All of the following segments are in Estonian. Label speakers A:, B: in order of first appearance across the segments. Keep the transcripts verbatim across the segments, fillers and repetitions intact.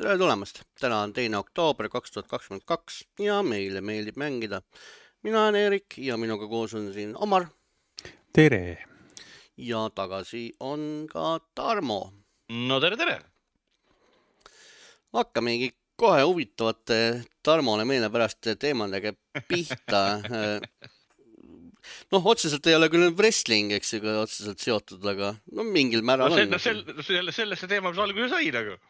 A: tere tulemast! Täna on teine oktoober kaks tuhat kakskümmend kaks ja meile meeldib mängida. Mina olen Erik ja minuga koos on siin Omar.
B: Tere!
A: Ja tagasi on ka Tarmo.
C: No tere, tere!
A: Hakkamegi kohe huvitavate Tarmole meile pärast teemadega pihta. Noh, otseselt ei ole küll wrestling, eks ju, otseselt seotud, aga no mingil määral
C: no,
A: on.
C: No sel, selle, sellesse teema, mis alguse sai nagu.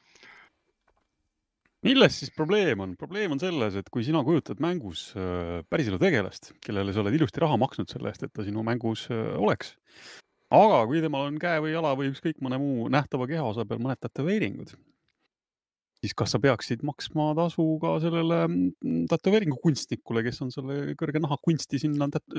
B: Milles siis probleem on? Probleem on selles, et kui sina kujutad mängus päriselu tegelast, kellele sa oled ilusti raha maksnud selle eest, et ta sinu mängus oleks. Aga kui temal on käe või jala või ükskõik mõne muu nähtava kehaosa peal mõned tätoveeringud, siis kas sa peaksid maksma tasu ka sellele tätoveeringu kunstnikule, kes on selle kõrge nahakunsti sinna tät-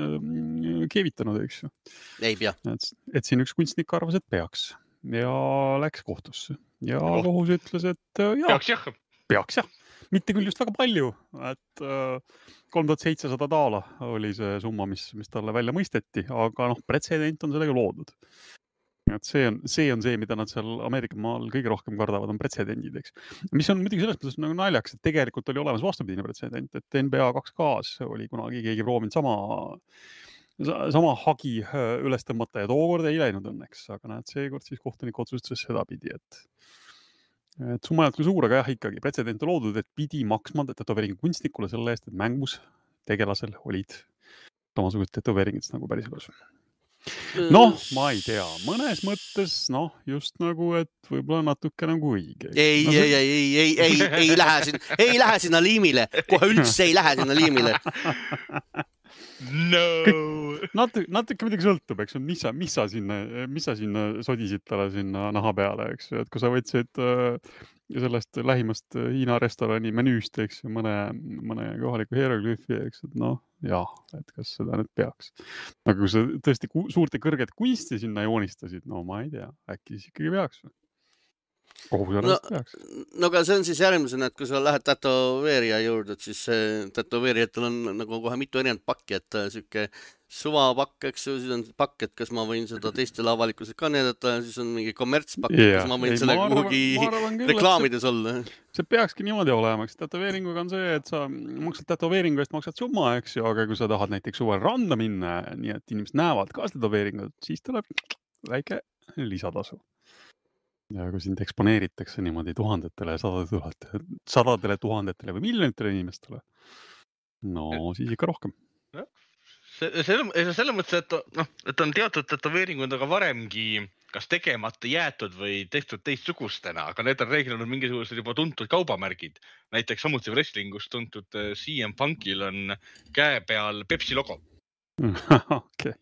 B: keevitanud, eks ju?
A: Ei pea.
B: Et, et siin üks kunstnik arvas, et peaks ja läks kohtusse. Ja oh. kohus ütles, et jah,
C: peaks jah.
B: Peaks jah. Mitte küll just väga palju, et kolm tuhat seitsesada daala oli see summa, mis, mis talle välja mõisteti, aga noh, pretsedent on sellega loodud. Et see on, see on see, mida nad seal Ameerika maal kõige rohkem kardavad, on pretsedendid, eks. Mis on muidugi selles mõttes nagu naljaks, et tegelikult oli olemas vastupidine pretsedent, et N B A kaks K-s oli kunagi keegi proovinud sama, sama hagi üles tõmmata ja tookord ei läinud õnneks, aga näed, seekord siis kohtunik otsustas sedapidi, et et summa ei olnud suur, aga jah, ikkagi pretsedent on loodud, et pidi maksma tätoveeringu kunstnikule selle eest, et mängus tegelasel olid samasugused tätoveeringid nagu päriselus. Noh, ma ei tea, mõnes mõttes, noh, just nagu, et võib-olla natuke nagu õige.
A: Ei,
B: no,
A: ei, ei, ei, ei, ei, ei lähe sinna, ei lähe sinna liimile, kohe üldse ei lähe sinna liimile.
C: No!
B: Natuke, natuke midagi sõltub, eks, mis sa, mis sa sinna, mis sa sinna sodisid talle sinna naha peale, eks, et kui sa võtsid sellest lähimast Hiina restorani menüüst, eks, mõne, mõne kohaliku hieroglüüfi, eks, et noh, jah, et kas seda nüüd peaks. Aga kui sa tõesti suurte kõrget kunsti sinna joonistasid, no ma ei tea, äkki siis ikkagi peaks või? Kohus
A: no,
B: peaks.
A: No aga see on siis järgmisena, et kui sa lähed tätoveerija juurde, siis tätoveerijatel on nagu kohe mitu erinevat pakki, et süke suvapakk, eks ju, siis on pakk, et kas ma võin seda teistele avalikkusele ka näidata, siis on mingi kommertspakk, yeah. kas ma võin ei, selle kuhugi reklaamides olla.
B: See peakski niimoodi olema, eks tätoveeringuga on see, et sa maksad tätoveeringu eest maksad summa, eks ju, aga kui sa tahad näiteks suvel randa minna, nii et inimesed näevad ka tätoveeringut, siis tuleb väike lisatasu. Ja kui sind eksponeeritakse niimoodi tuhandetele, sadadele, sadadele tuhandetele või miljonitele inimestele, no siis ikka rohkem.
C: Selle, selle mõttes, et, no, et on teatud tätoveeringud aga varemgi kas tegemata jäetud või tehtud teistsugustena, aga need on reeglil olnud mingisugused juba tuntud kaubamärgid. Näiteks samuti wrestlingus tuntud C M Punkil on käe peal Pepsi logo.
B: Okei.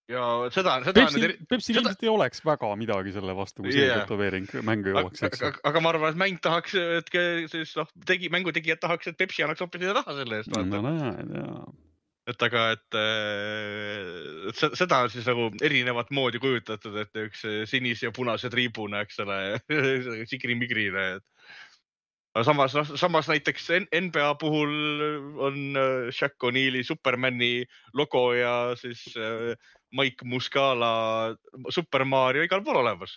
C: Ja seda, seda
B: Pepsi, eri... Pepsi seda... ilmselt ei oleks väga midagi selle vastu, kui see yeah. tätoveering mängu jõuaks.
C: Aga, aga ma arvan, et mäng tahaks, et siis, noh, tegi, mängutegijad tahaks, et Pepsi annaks hoopis raha selle eest.
B: No näed, jaa.
C: Et aga, et, et seda on siis nagu erinevat moodi kujutatud, et üks sinis ja punase triibuna, eks ole, sigri-migrine. Aga samas, no, samas näiteks N B A puhul on Shaq O'Neali Supermani logo ja siis Mike Muscala Super Mario igal pool olemas.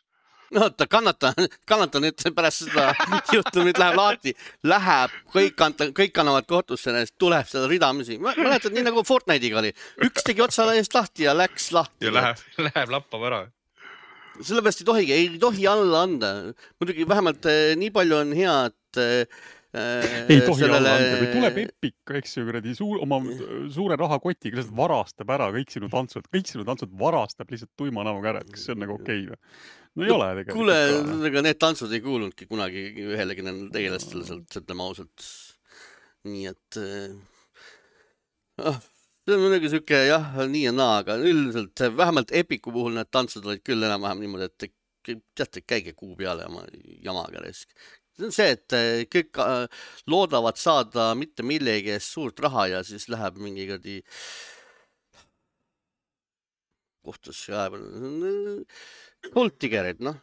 A: No, ta kannata, kannata nüüd pärast seda juhtumit läheb lahti, läheb, kõik, kanta, kõik kannavad kohtusse, tuleb seda ridamisi. Ma mäletad, nii nagu Fortnite'iga oli. Üks tegi otsa eest lahti ja läks lahti.
C: Ja läheb, läheb lappab ära.
A: Sellepärast ei tohigi, ei tohi alla anda. Muidugi vähemalt nii palju on hea, et
B: ei tohi sellele... alla anda, kui tuleb Epic, eks ju, kuradi suur, oma suure rahakotiga lihtsalt varastab ära kõik sinu tantsud, kõik sinu tantsud varastab lihtsalt tuima näoga ära, et kas see on nagu okei või? No ei no, ole tegelikult.
A: Kuule, need tantsud ei kuulunudki kunagi ühelegi tegelastele sealt, ütleme ausalt. Nii et ah, see on muidugi süke, jah, nii ja naa, aga üldiselt vähemalt Epicu puhul need tantsud olid küll enam-vähem niimoodi, et teate, käige kuu peale oma jamaga resk. See on see, et kõik loodavad saada mitte millegi eest suurt raha ja siis läheb mingi kõrdi kohtusse kaevad. Kuldtigerid, noh.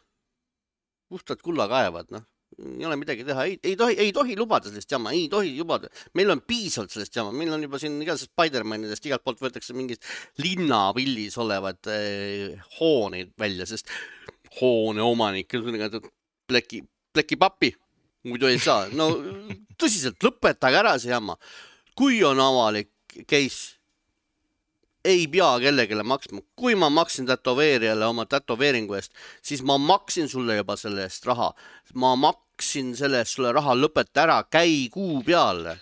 A: Puhtad kulla kaevad, noh. Ei ole midagi teha. Ei, ei, tohi, ei tohi lubada sellest jama. Ei tohi lubada. Meil on piisavalt sellest jama. Meil on juba siin igasest Spider-Manidest igalt poolt võetakse mingist linnapillis olevad eh, hooneid välja, sest hoone omanik, pleki pleki pappi, muidu ei saa. No tõsiselt, lõpetage ära see jamma. Kui on avalik case, ei pea kellegile maksma. Kui ma maksin tätoveerijale oma tätoveeringu eest, siis ma maksin sulle juba selle eest raha. Ma maksin selle eest sulle raha, lõpeta ära, käi kuu peale.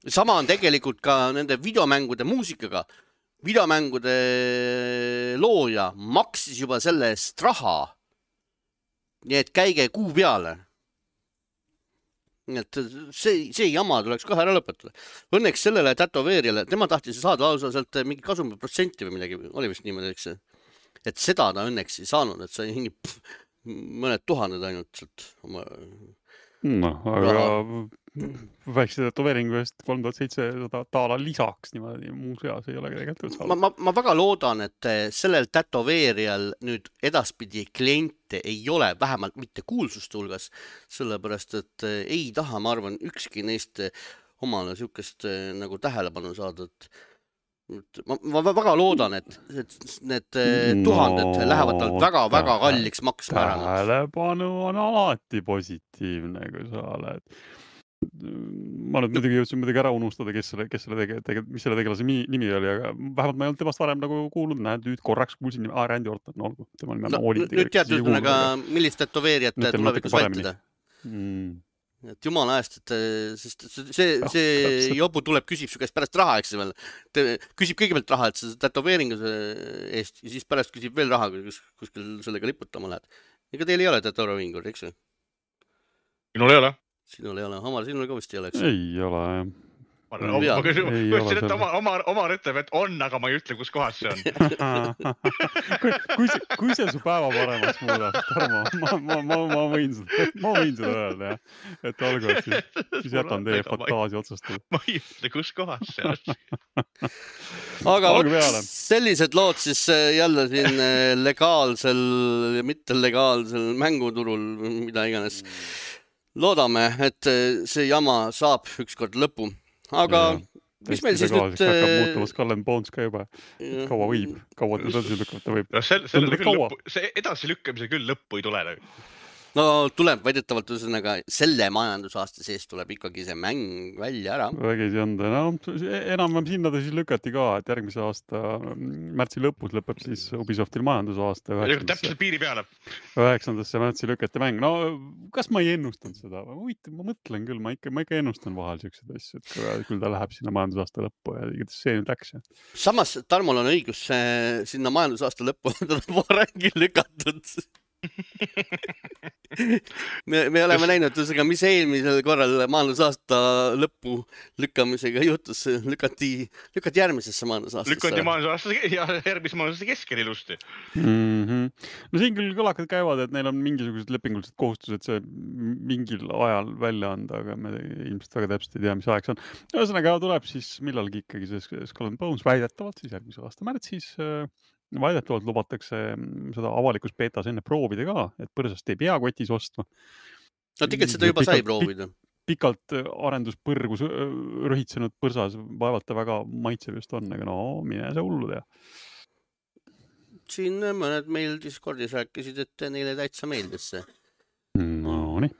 A: Sama on tegelikult ka nende videomängude muusikaga. Videomängude looja maksis juba selle eest raha. Nii et käige kuu peale. Nii et see, see jama tuleks kohe ära lõpetada. Õnneks sellele tätoveerijale, tema tahtis saada lausa sealt mingi kasumi protsenti või midagi, oli vist niimoodi, eks. Et seda ta õnneks ei saanud, et sai hingi pff, mõned tuhanded ainult sealt oma...
B: No, aga väikse tätoveeringu eest kolm tuhat seitsesada taala lisaks niimoodi muus eas ei ole tegelikult saada.
A: Ma, ma, ma väga loodan, et sellel tätoveerijal nüüd edaspidi kliente ei ole, vähemalt mitte kuulsuste hulgas, sellepärast, et ei taha, ma arvan, ükski neist omale sükest nagu tähelepanu saada, et Ma, ma väga loodan, et, et need tuhanded no, lähevad tal väga-väga kalliks maksma ära.
B: Tähelepanu on alati positiivne, kui sa oled. Ma nüüd muidugi jõudsin muidugi ära unustada, kes selle, kes selle tege, tege, mis selle tegelase nimi oli, aga vähemalt ma ei olnud temast varem nagu kuulnud, näed, nüüd korraks kuulsin nimi, ah, Randy Orton, no olgu.
A: No, nüüd tead üldse, millist tätoveerijat tulevikus vältida.
B: Mm.
A: Et jumala ajast, et sest see, see jobu tuleb, küsib su käest pärast raha, eks veel. Küsib kõigepealt raha, et see tätoveeringu eest ja siis pärast küsib veel raha, kus, kuskil sellega liputama lähed. Ega teil ei ole tätoveeringur, eks või?
C: Sinul ei ole?
A: Sinul ei ole. Omar, sinul ka vist ei ole, eks?
B: Ei ole, jah.
C: Ma küsin, et Omar, Omar ütleb, et on, aga ma ei ütle, kus kohas see on.
B: kui, kui, see, kui see su päeva paremaks muudab, Tarmo, ma, ma, ma, ma, võin seda, ma võin seda öelda, jah. Et olgu, et siis, siis jätan teie fantaasia otsustada.
C: Ma ei ütle, kus kohas see on.
A: Aga võt, sellised lood siis jälle siin legaalsel ja mitte legaalsel mänguturul, mida iganes. Loodame, et see jama saab ükskord lõpu. Aga ja, mis meil siis nüüd...
B: Hakkab muutuvas Cullen Bones ka juba. Kaua võib, kaua edasi lükkata võib.
C: No see, see, lõppu, see edasi lükkamise küll lõppu ei tule.
A: No tuleb väidetavalt ühesõnaga selle majandusaasta sees tuleb ikkagi see mäng välja ära.
B: Vägisi on ta. No, enam sinna ta siis lükati ka, et järgmise aasta märtsi lõpus lõpeb siis Ubisoftil majandusaasta.
C: Täpselt piiri peale.
B: üheksandasse märtsi lükati mäng. No, kas ma ei ennustanud seda? Ma mõtlen küll, ma ikka, ma ikka ennustan vahel siuksed asju, et küll ta läheb sinna majandusaasta lõppu ja see nüüd läks.
A: Samas Tarmol on õigus sinna majandusaasta lõppu varemgi lükatud. me, me oleme näinud, ühesõnaga, mis eelmisel korral majandusaasta lõppu lükkamisega juhtus, lükati, lükati järgmisesse majandusaastesse.
C: Lükati majandusaasta ja järgmise majandusaasta keskel ilusti.
B: Mm-hmm. No siin küll kõlakad käivad, et neil on mingisugused lepingulised kohustused see mingil ajal välja anda, aga me ilmselt väga täpselt ei tea, mis aeg see on. Ühesõnaga tuleb siis millalgi ikkagi see Skull and Bones väidetavalt siis järgmise aasta märtsis. Väidetavalt lubatakse seda avalikus betas enne proovida ka, et põrsast ei pea kotis ostma.
A: No tegelikult seda juba sai proovida.
B: Pikalt arenduspõrgus rõhitsenud põrsas vaevalt väga maitsev just on, aga no mine see hullu tea.
A: Siin mõned meil Discordis rääkisid, et neile täitsa meeldis see.
B: No nii.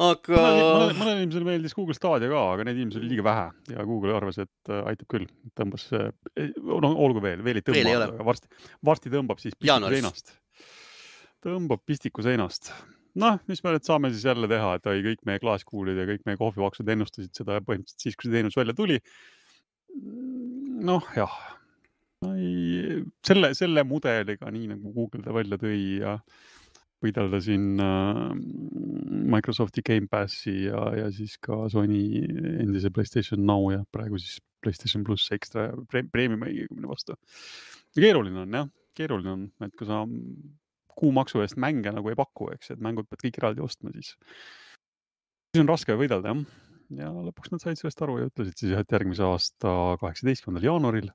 A: Aga...
B: Mõnel, mõnel inimesel meeldis Google Stadia ka, aga neid inimesel liiga vähe ja Google arvas, et aitab küll. Tõmbas, no olgu veel, veel ei tõmba, aga varsti, varsti tõmbab siis pistiku seinast. Tõmbab pistiku seinast. Noh, mis me nüüd saame siis jälle teha, et oi, kõik meie klaaskuulid ja kõik meie kohvivaksud ennustasid seda põhimõtteliselt siis, kui see teenus välja tuli. Noh, jah. Selle, selle mudeliga, nii nagu Google ta välja tõi ja võidelda siin Microsofti Game Passi ja, ja siis ka Sony endise PlayStation Now ja praegu siis PlayStation Plus ekstra premium õigemine vastu. Keeruline on, jah. Keeruline on, et kui sa kuumaksu eest mänge nagu ei paku, eks, et mängud pead kõik eraldi ostma, siis siis on raske võidelda, jah. Ja lõpuks nad said sellest aru ja ütlesid siis, et järgmise aasta kaheksateistkümnendal jaanuaril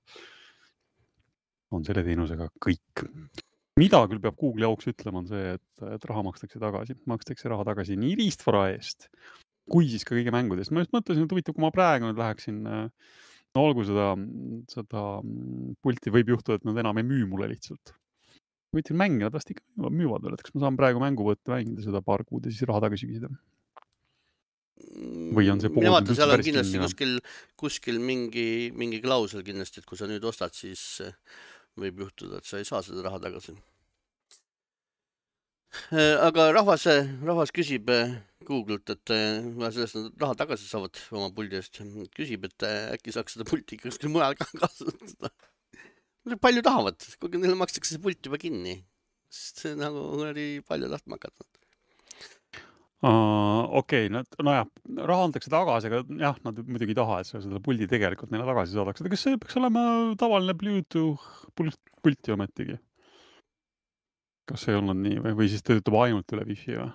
B: on selle teenusega kõik. Mida küll peab Google jauks ütlema on see, et, et raha makstakse tagasi. Makstakse raha tagasi nii riistvara eest, kui siis ka kõige mängudest. Ma just mõtlesin, et huvitav, kui ma praegu nüüd läheksin, no olgu seda, seda pulti võib juhtuda, et nad enam ei müü mulle lihtsalt. võtsin mänge, nad vast ikka müüvad veel, et kas ma saan praegu mängu võtta, mängida seda paar kuud ja siis raha tagasi küsida. Või on see pood
A: Mina vaatan,
B: üldse
A: seal on
B: päris
A: kindlasti
B: kinni või?
A: kuskil, kuskil mingi, mingi klausel kindlasti, et kui sa nüüd ostad, siis võib juhtuda, et sa ei saa seda raha tagasi. Aga rahvas, rahvas küsib Google't, et sellest nad raha tagasi saavad oma puldi eest. Küsib, et äkki saaks seda pulti kuskil mujal ka kasutada. Palju tahavad, kuigi neile makstakse see pult juba kinni. Sest see nagu oli palju tahtma hakata.
B: Uh, Okei, okay, no jah, raha antakse tagasi, aga jah, nad muidugi ei taha, et sa seda puldi tegelikult neile tagasi saadaks. Kas see peaks olema tavaline Bluetooth pulti ometigi? Kas see ei olnud nii või, või siis töötab ainult üle Wi-Fi või?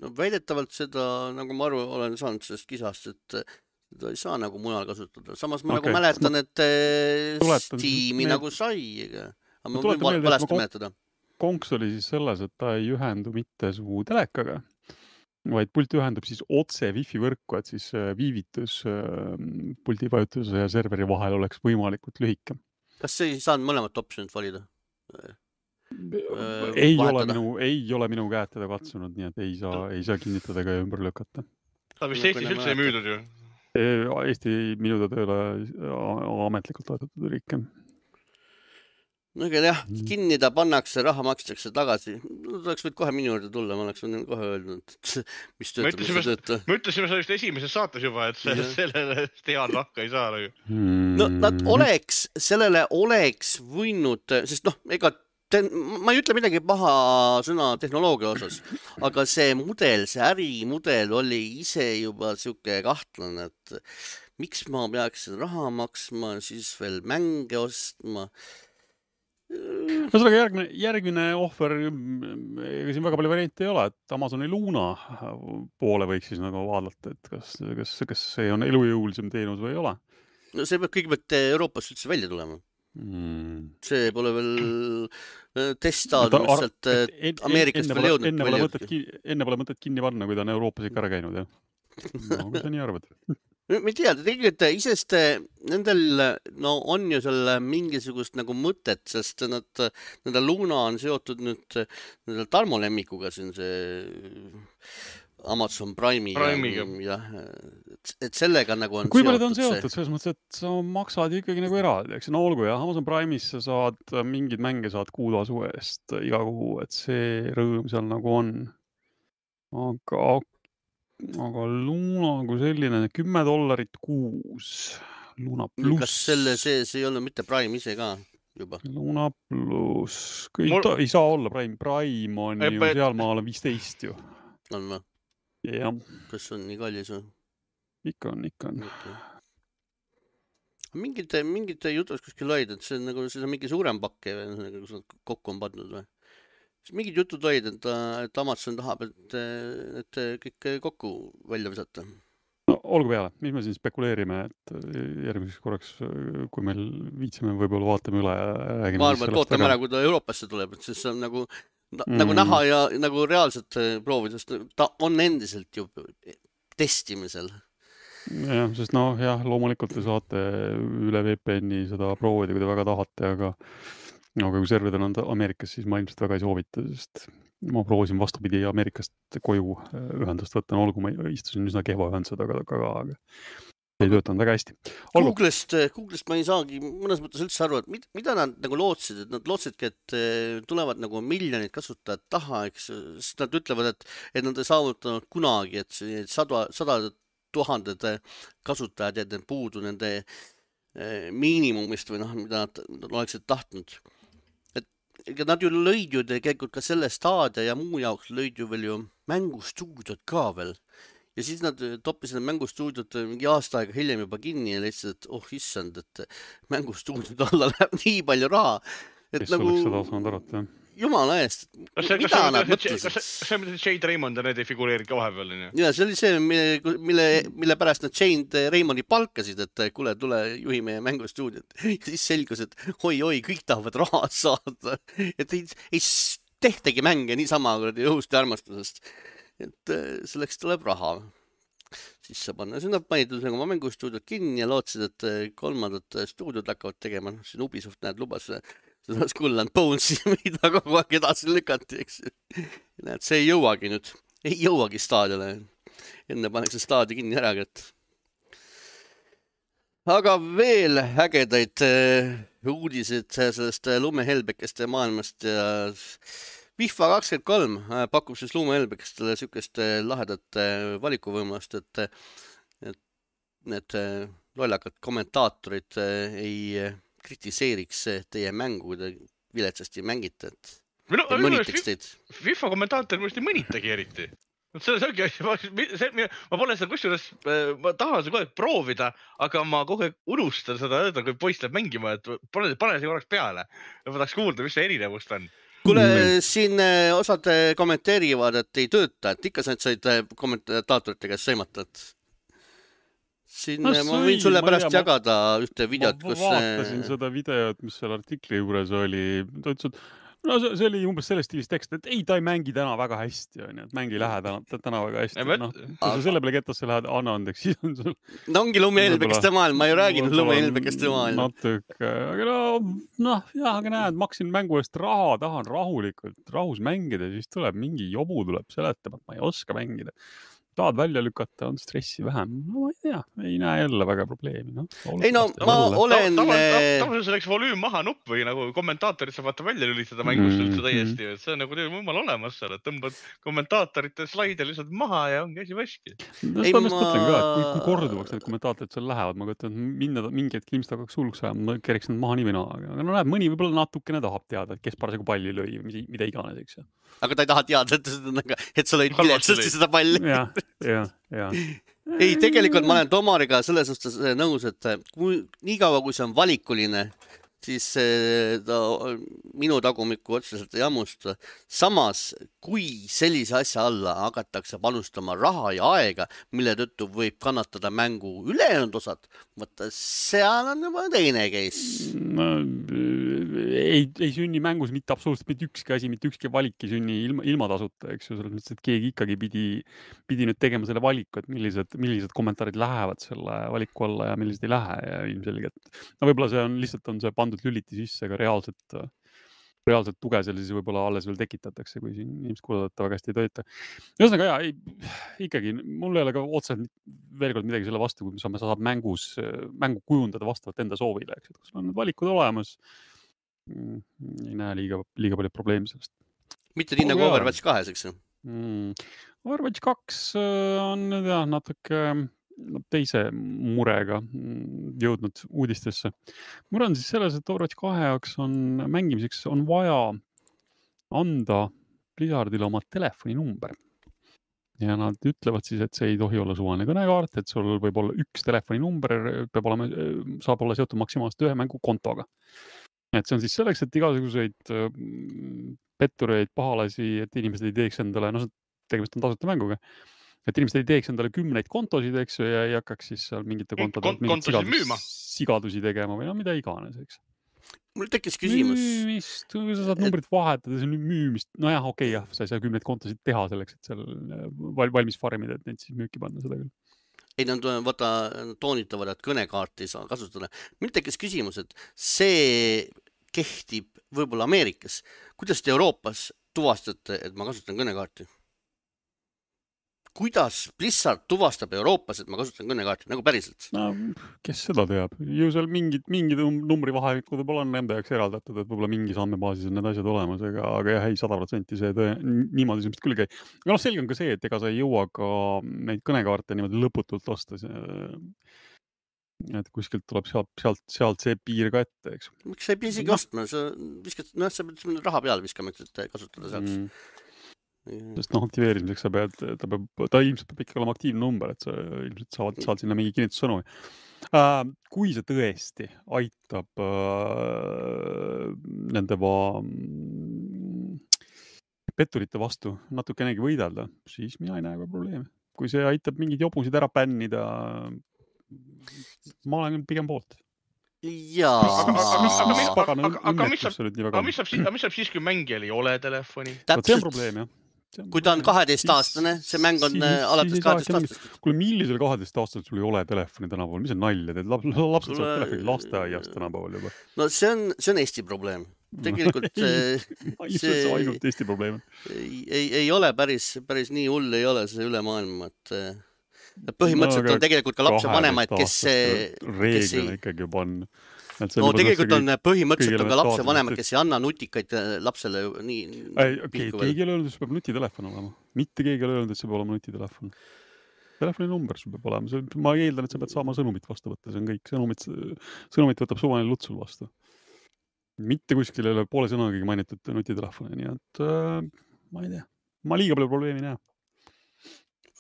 A: No väidetavalt seda, nagu ma aru olen saanud sellest kisast, et seda ei saa nagu mujal kasutada. Samas ma okay. nagu mäletan, et Steam'i need... nagu sai. Aga ma, ma võin valesti mäletada.
B: Konks oli siis selles, et ta ei ühendu mitte su telekaga, vaid pult ühendub siis otse Wi-Fi võrku, et siis viivitus puldi vajutuse ja serveri vahel oleks võimalikult lühike.
A: Kas see ei saanud mõlemat optionit valida?
B: Ei ole, minu, ei ole minu käed teda katsunud, nii et ei saa, ei saa kinnitada ega ümber lükata.
C: Ta vist Eestis üldse ei müüdud ju?
B: Eesti minuda tööle ametlikult toetatud riike.
A: No ega jah, kinni ta pannakse, raha makstakse tagasi. No, ta oleks võid kohe minu juurde tulla, ma oleks kohe öelnud, et mis töötab, mis see tööta.
C: Me ütlesime sellest esimeses saates juba, et see, sellele tead rahka ei saa.
A: Hmm. No nad oleks, sellele oleks võinud, sest noh, ega te, ma ei ütle midagi paha sõna tehnoloogia osas, aga see mudel, see ärimudel oli ise juba siuke kahtlane, et miks ma peaks raha maksma, siis veel mänge ostma.
B: No sellega järgmine, järgmine ohver, ega siin väga palju variante ei ole, et Amazoni Luna poole võiks siis nagu vaadata, et kas, kas, kas see on elujõulisem teenus või ei ole.
A: No see peab kõigepealt Euroopas üldse välja tulema. Hmm. See pole veel testaadnud, et Ameerikast veel jõudnud.
B: Enne pole, mõtet, enne pole mõtet kinni panna, kui ta on Euroopas ikka ära käinud, jah. No, mis sa nii arvad?
A: Ma ei tea, tegelikult isest nendel no, on ju selle mingisugust nagu mõtet, sest nad, nende Luna on seotud nüüd nendel Tarmo lemmikuga siin see Amazon Prime'i.
C: Prime'iga.
A: Ja, et sellega nagu on
B: kui seotud. Kui palju ta on seotud? See... Selles mõttes, et sa maksad ikkagi nagu eraldi, eks? No olgu, jah, Amazon Prime'is sa saad mingid mänge saad kuutasu eest iga kuu, et see rõõm seal nagu on. Aga Aga Luna kui selline kümme dollarit kuus. Luna pluss.
A: Kas selle sees ei olnud mitte Prime ise ka juba?
B: Luna pluss. Mul... Ta, ei saa olla Prime. Prime on Epe... ju seal maal on viisteist ju.
A: On või?
B: Jah.
A: Kas on nii kallis või?
B: Ikka on, ikka on.
A: Okay. Mingite, mingite jutus kuskil loid, et see on nagu see on mingi suurem pakke või kus nad kokku on pandud või? Mingid jutud olid, et, et Amazon tahab, et, et kõik kokku välja visata.
B: No, olgu peale, mis me siin spekuleerime, et järgmiseks korraks, kui meil viitsime, võib-olla vaatame üle ja räägime.
A: Ma arvan, et ootame ära, kui ta Euroopasse tuleb, et siis see on nagu, mm. nagu näha ja nagu reaalselt proovida, sest ta on endiselt ju testimisel.
B: Jah, sest noh, jah, loomulikult te saate üle V P N-i seda proovida, kui te väga tahate, aga No, aga kui serverid on Ameerikas, siis ma ilmselt väga ei soovita, sest ma proovisin vastupidi Ameerikast koju ühendust võtta, no olgu ma istusin üsna kehva ühendused, aga, aga, aga ei töötanud väga hästi.
A: Googlest, Googlest ma ei saagi mõnes mõttes üldse aru, et mida nad nagu lootsid, et nad lootsidki, et tulevad nagu miljonid kasutajad taha, eks, sest nad ütlevad, et, et nad ei saavutanud kunagi, et sada, sada tuhanded kasutajad jäid puudu nende miinimumist või noh, mida nad, nad oleksid tahtnud. Ega nad ju lõid ju tegelikult ka selle staadia ja muu jaoks lõid ju veel ju mängustuudiot ka veel. Ja siis nad toppisid mängustuudiot mingi aasta aega hiljem juba kinni ja leidsid, et oh issand, et mängustuudiot alla läheb nii palju raha. Et
B: kes
A: nagu,
B: oleks seda osanud arvata, jah?
A: Jumala eest,
C: kas see,
A: mida
C: kas
A: nad
C: see,
A: mõtlesid?
C: Kas see, mida Jade Raymond ja need ei figureerid ka vahepeal?
A: Ja see oli see, mille, mille, mille pärast nad Jade Raymondi palkasid, et kuule, tule juhi meie mängustuudiot. Ja siis selgus, et oi-oi, kõik tahavad raha saada. Et ei, ei tehtagi mänge niisama õhust ja armastusest. Et selleks tuleb raha. Siis sa panna sinna panid oma mängustuudiot kinni ja lootsid, et kolmandat stuudiot hakkavad tegema. Siin Ubisoft näed lubas seda Skull and Bonesi, mida kogu aeg edasi lükati, eks. Näed, see ei jõuagi nüüd, ei jõuagi staadiole. Enne paneks see staadi kinni ära, et aga veel ägedaid uudised sellest lumehelbekeste maailmast ja FIFA kakskümmend kolm pakub siis lumehelbekestele sükest lahedat valikuvõimast, et, et need lollakad kommentaatorid ei kritiseeriks teie mängu, kui te viletsasti mängite, et
C: no,
A: mõnitaks teid.
C: FIFA kommentaator minu ei mõnitagi eriti. See ongi asja, ma, ma pole seda kusjuures, ma tahan seda kogu aeg proovida, aga ma kogu aeg unustan seda öelda, kui poiss läheb mängima, et pane, pane see korraks peale. Ma tahaks kuulda, mis see erinevust on.
A: Kuule, siin osad kommenteerivad, et ei tööta, et ikka sa said kommentaatorite käest sõimata, et siin no, ma võin sulle pärast ma, jagada ühte videot,
B: kus... Ma vaatasin seda videot, mis seal artikli juures oli. Ta ütles, et no see oli umbes selles stiilis tekst, et ei, ta ei mängi täna väga hästi, et mängi lähe täna, täna väga hästi. No, kui sa selle peale ketasse lähed, anna andeks, siis on sul...
A: No ongi lumehelbekeste maailm, ma ei rääginud lumehelbekeste maailm.
B: Natuke, aga no, noh, jah, aga näed, maksin mängu eest raha, tahan rahulikult, rahus mängida, siis tuleb mingi jobu, tuleb seletab, et ma ei oska mängida. Tahad välja lükata, on stressi vähem. No ma ei tea, ei näe jälle väga probleemi. No,
A: ei no, ma olen...
C: Tavaliselt selleks volüüm maha nupp või nagu kommentaatorid saab vaata välja lülitada mängust üldse täiesti. See on nagu teil muimal olemas seal, et tõmbad kommentaatorite slaide lihtsalt maha ja ongi asi vaski.
B: No seda ma just mõtlen ka, et kui, kui korduvaks need kommentaatorid seal lähevad, ma kõtan, minna mingi hetk ilmselt hakkaks hulluks ajama, ma kereks nad maha nii või naa. Aga no näed, mõni võib-olla natukene tahab teada, et kes parasjagu palli lõi või mida iganes, eks ju.
A: Aga ta ei taha teada, et, et sa lõid viletsasti seda palli.
B: Ja, ja, ja.
A: Ei, tegelikult ma olen Tomariga selles suhtes nõus, et kui, nii kaua, kui see on valikuline, siis ta minu tagumikku otseselt ei ammusta. Samas, kui sellise asja alla hakatakse panustama raha ja aega, mille tõttu võib kannatada mängu ülejäänud osad, võtta, seal on juba teine case.
B: No, ei, ei sünni mängus mitte absoluutselt mitte ükski asi, mitte ükski valik ei sünni ilma, ilma tasuta, eks ju, selles mõttes, et keegi ikkagi pidi, pidi nüüd tegema selle valiku, et millised, millised kommentaarid lähevad selle valiku alla ja millised ei lähe ja ilmselgelt. No võib-olla see on lihtsalt on see pandud lüliti sisse, aga reaalselt, reaalselt tuge seal siis võib-olla alles veel tekitatakse, kui siin inimesed kuulata väga hästi ei tööta. Ühesõnaga, jaa, ei, ikkagi, mul ei ole ka otseselt veel kord midagi selle vastu, kui sa saad mängus, mängu kujundada vastavalt enda soovile, eks, et kus on need valikud olemas, ei näe liiga, liiga palju probleemi sellest.
A: Mitte nii nagu Overwatch kahes, eks ju?
B: Mm. Overwatch kaks on jah, natuke teise murega jõudnud uudistesse. Mure on siis selles, et Overwatch kahe jaoks on mängimiseks on vaja anda Blizzardile oma telefoninumber. Ja nad ütlevad siis, et see ei tohi olla suvaline kõnekaart, et sul võib olla üks telefoninumber, peab olema, saab olla seotud maksimaalselt ühe mängu kontoga. Et see on siis selleks, et igasuguseid pettureid, pahalasi, et inimesed ei teeks endale, no tegemist on tasuta mänguga, et inimesed ei teeks endale kümneid kontosid, eks ju, ja ei hakkaks siis seal mingite kontode
C: Kont
B: sigadus, sigadusi tegema või no mida iganes, eks.
A: Mul tekkis küsimus.
B: Müümist, kui sa saad numbrit vahetada, see on müümist. No jah, okei, okay, jah, sa ei saa kümneid kontosid teha selleks, et seal valmis farmida, et neid siis müüki panna seda küll.
A: Ei, nad vaata, toonitavad, et kõnekaarti ei saa kasutada. Mul tekkis küsimus, et see kehtib võib-olla Ameerikas. Kuidas te Euroopas tuvastate, et ma kasutan kõnekaarti? Kuidas Blizzard tuvastab Euroopas, et ma kasutan kõnekaarti, nagu päriselt?
B: No, kes seda teab? Ju seal mingid, mingid numbri vahemikud võib-olla on nende jaoks eraldatud, et võib-olla mingis andmebaasis on need asjad olemas, aga, aga jah, ei, sada protsenti see tõe, niimoodi semest küll käi. Aga noh, selge on ka see, et ega sa ei jõua ka neid kõnekaarte niimoodi lõputult osta. Et kuskilt tuleb sealt, sealt, sealt see piir ka ette, eks.
A: Miks sa ei pea isegi no. ostma? Sa viskad, no, sa pead raha peale viskama, et kasutada saaks. Mm.
B: Sest noh, aktiveerimiseks sa pead, ta peab, ta ilmselt peab ikka olema aktiivne number, et sa ilmselt saad, saad sinna mingi kinnitussõnu. Äh, kui see tõesti aitab äh, nende va, petturite vastu natukenegi võidelda, siis mina ei näe ka probleemi. Kui see aitab mingid jobusid ära pännida, ma olen pigem poolt.
A: Jaa.
C: Aga mis saab siis, kui mängijal ei ole telefoni?
B: See on probleem, jah.
A: Kui ta on kaheteist aastane, see mäng on alates kaheteist aastast.
B: Kuule, millisel kaheteist aastast sul ei ole telefoni tänapäeval? Mis on nalja? Teed lapsed saavad telefoni lasteaiast tänapäeval juba.
A: No see on, see on Eesti probleem. tegelikult see,
B: ma ei see... see ainult Eesti probleem.
A: Ei, ei, ei ole päris, päris nii hull ei ole see üle maailma, et põhimõtteliselt no, on tegelikult ka lapse vanemaid, kes
B: reeglina ikkagi juba on.
A: No tegelikult on põhimõtteliselt on ka lapse vanemad, kes ei anna nutikaid lapsele nii
B: ei, okay, keegi ei ole öelnud, et see peab nutitelefon olema. Mitte keegi ei ole öelnud, et see peab olema nutitelefon. Telefoni number sul peab olema. Ma eeldan, et sa pead saama sõnumit vastu võtta. See on kõik. Sõnumit, sõnumit võtab suvaline luts sul vastu. Mitte kuskil ei ole poole sõnagagi mainitud nutitelefoni. Nii et äh, ma ei tea. Ma liiga palju probleemi näe.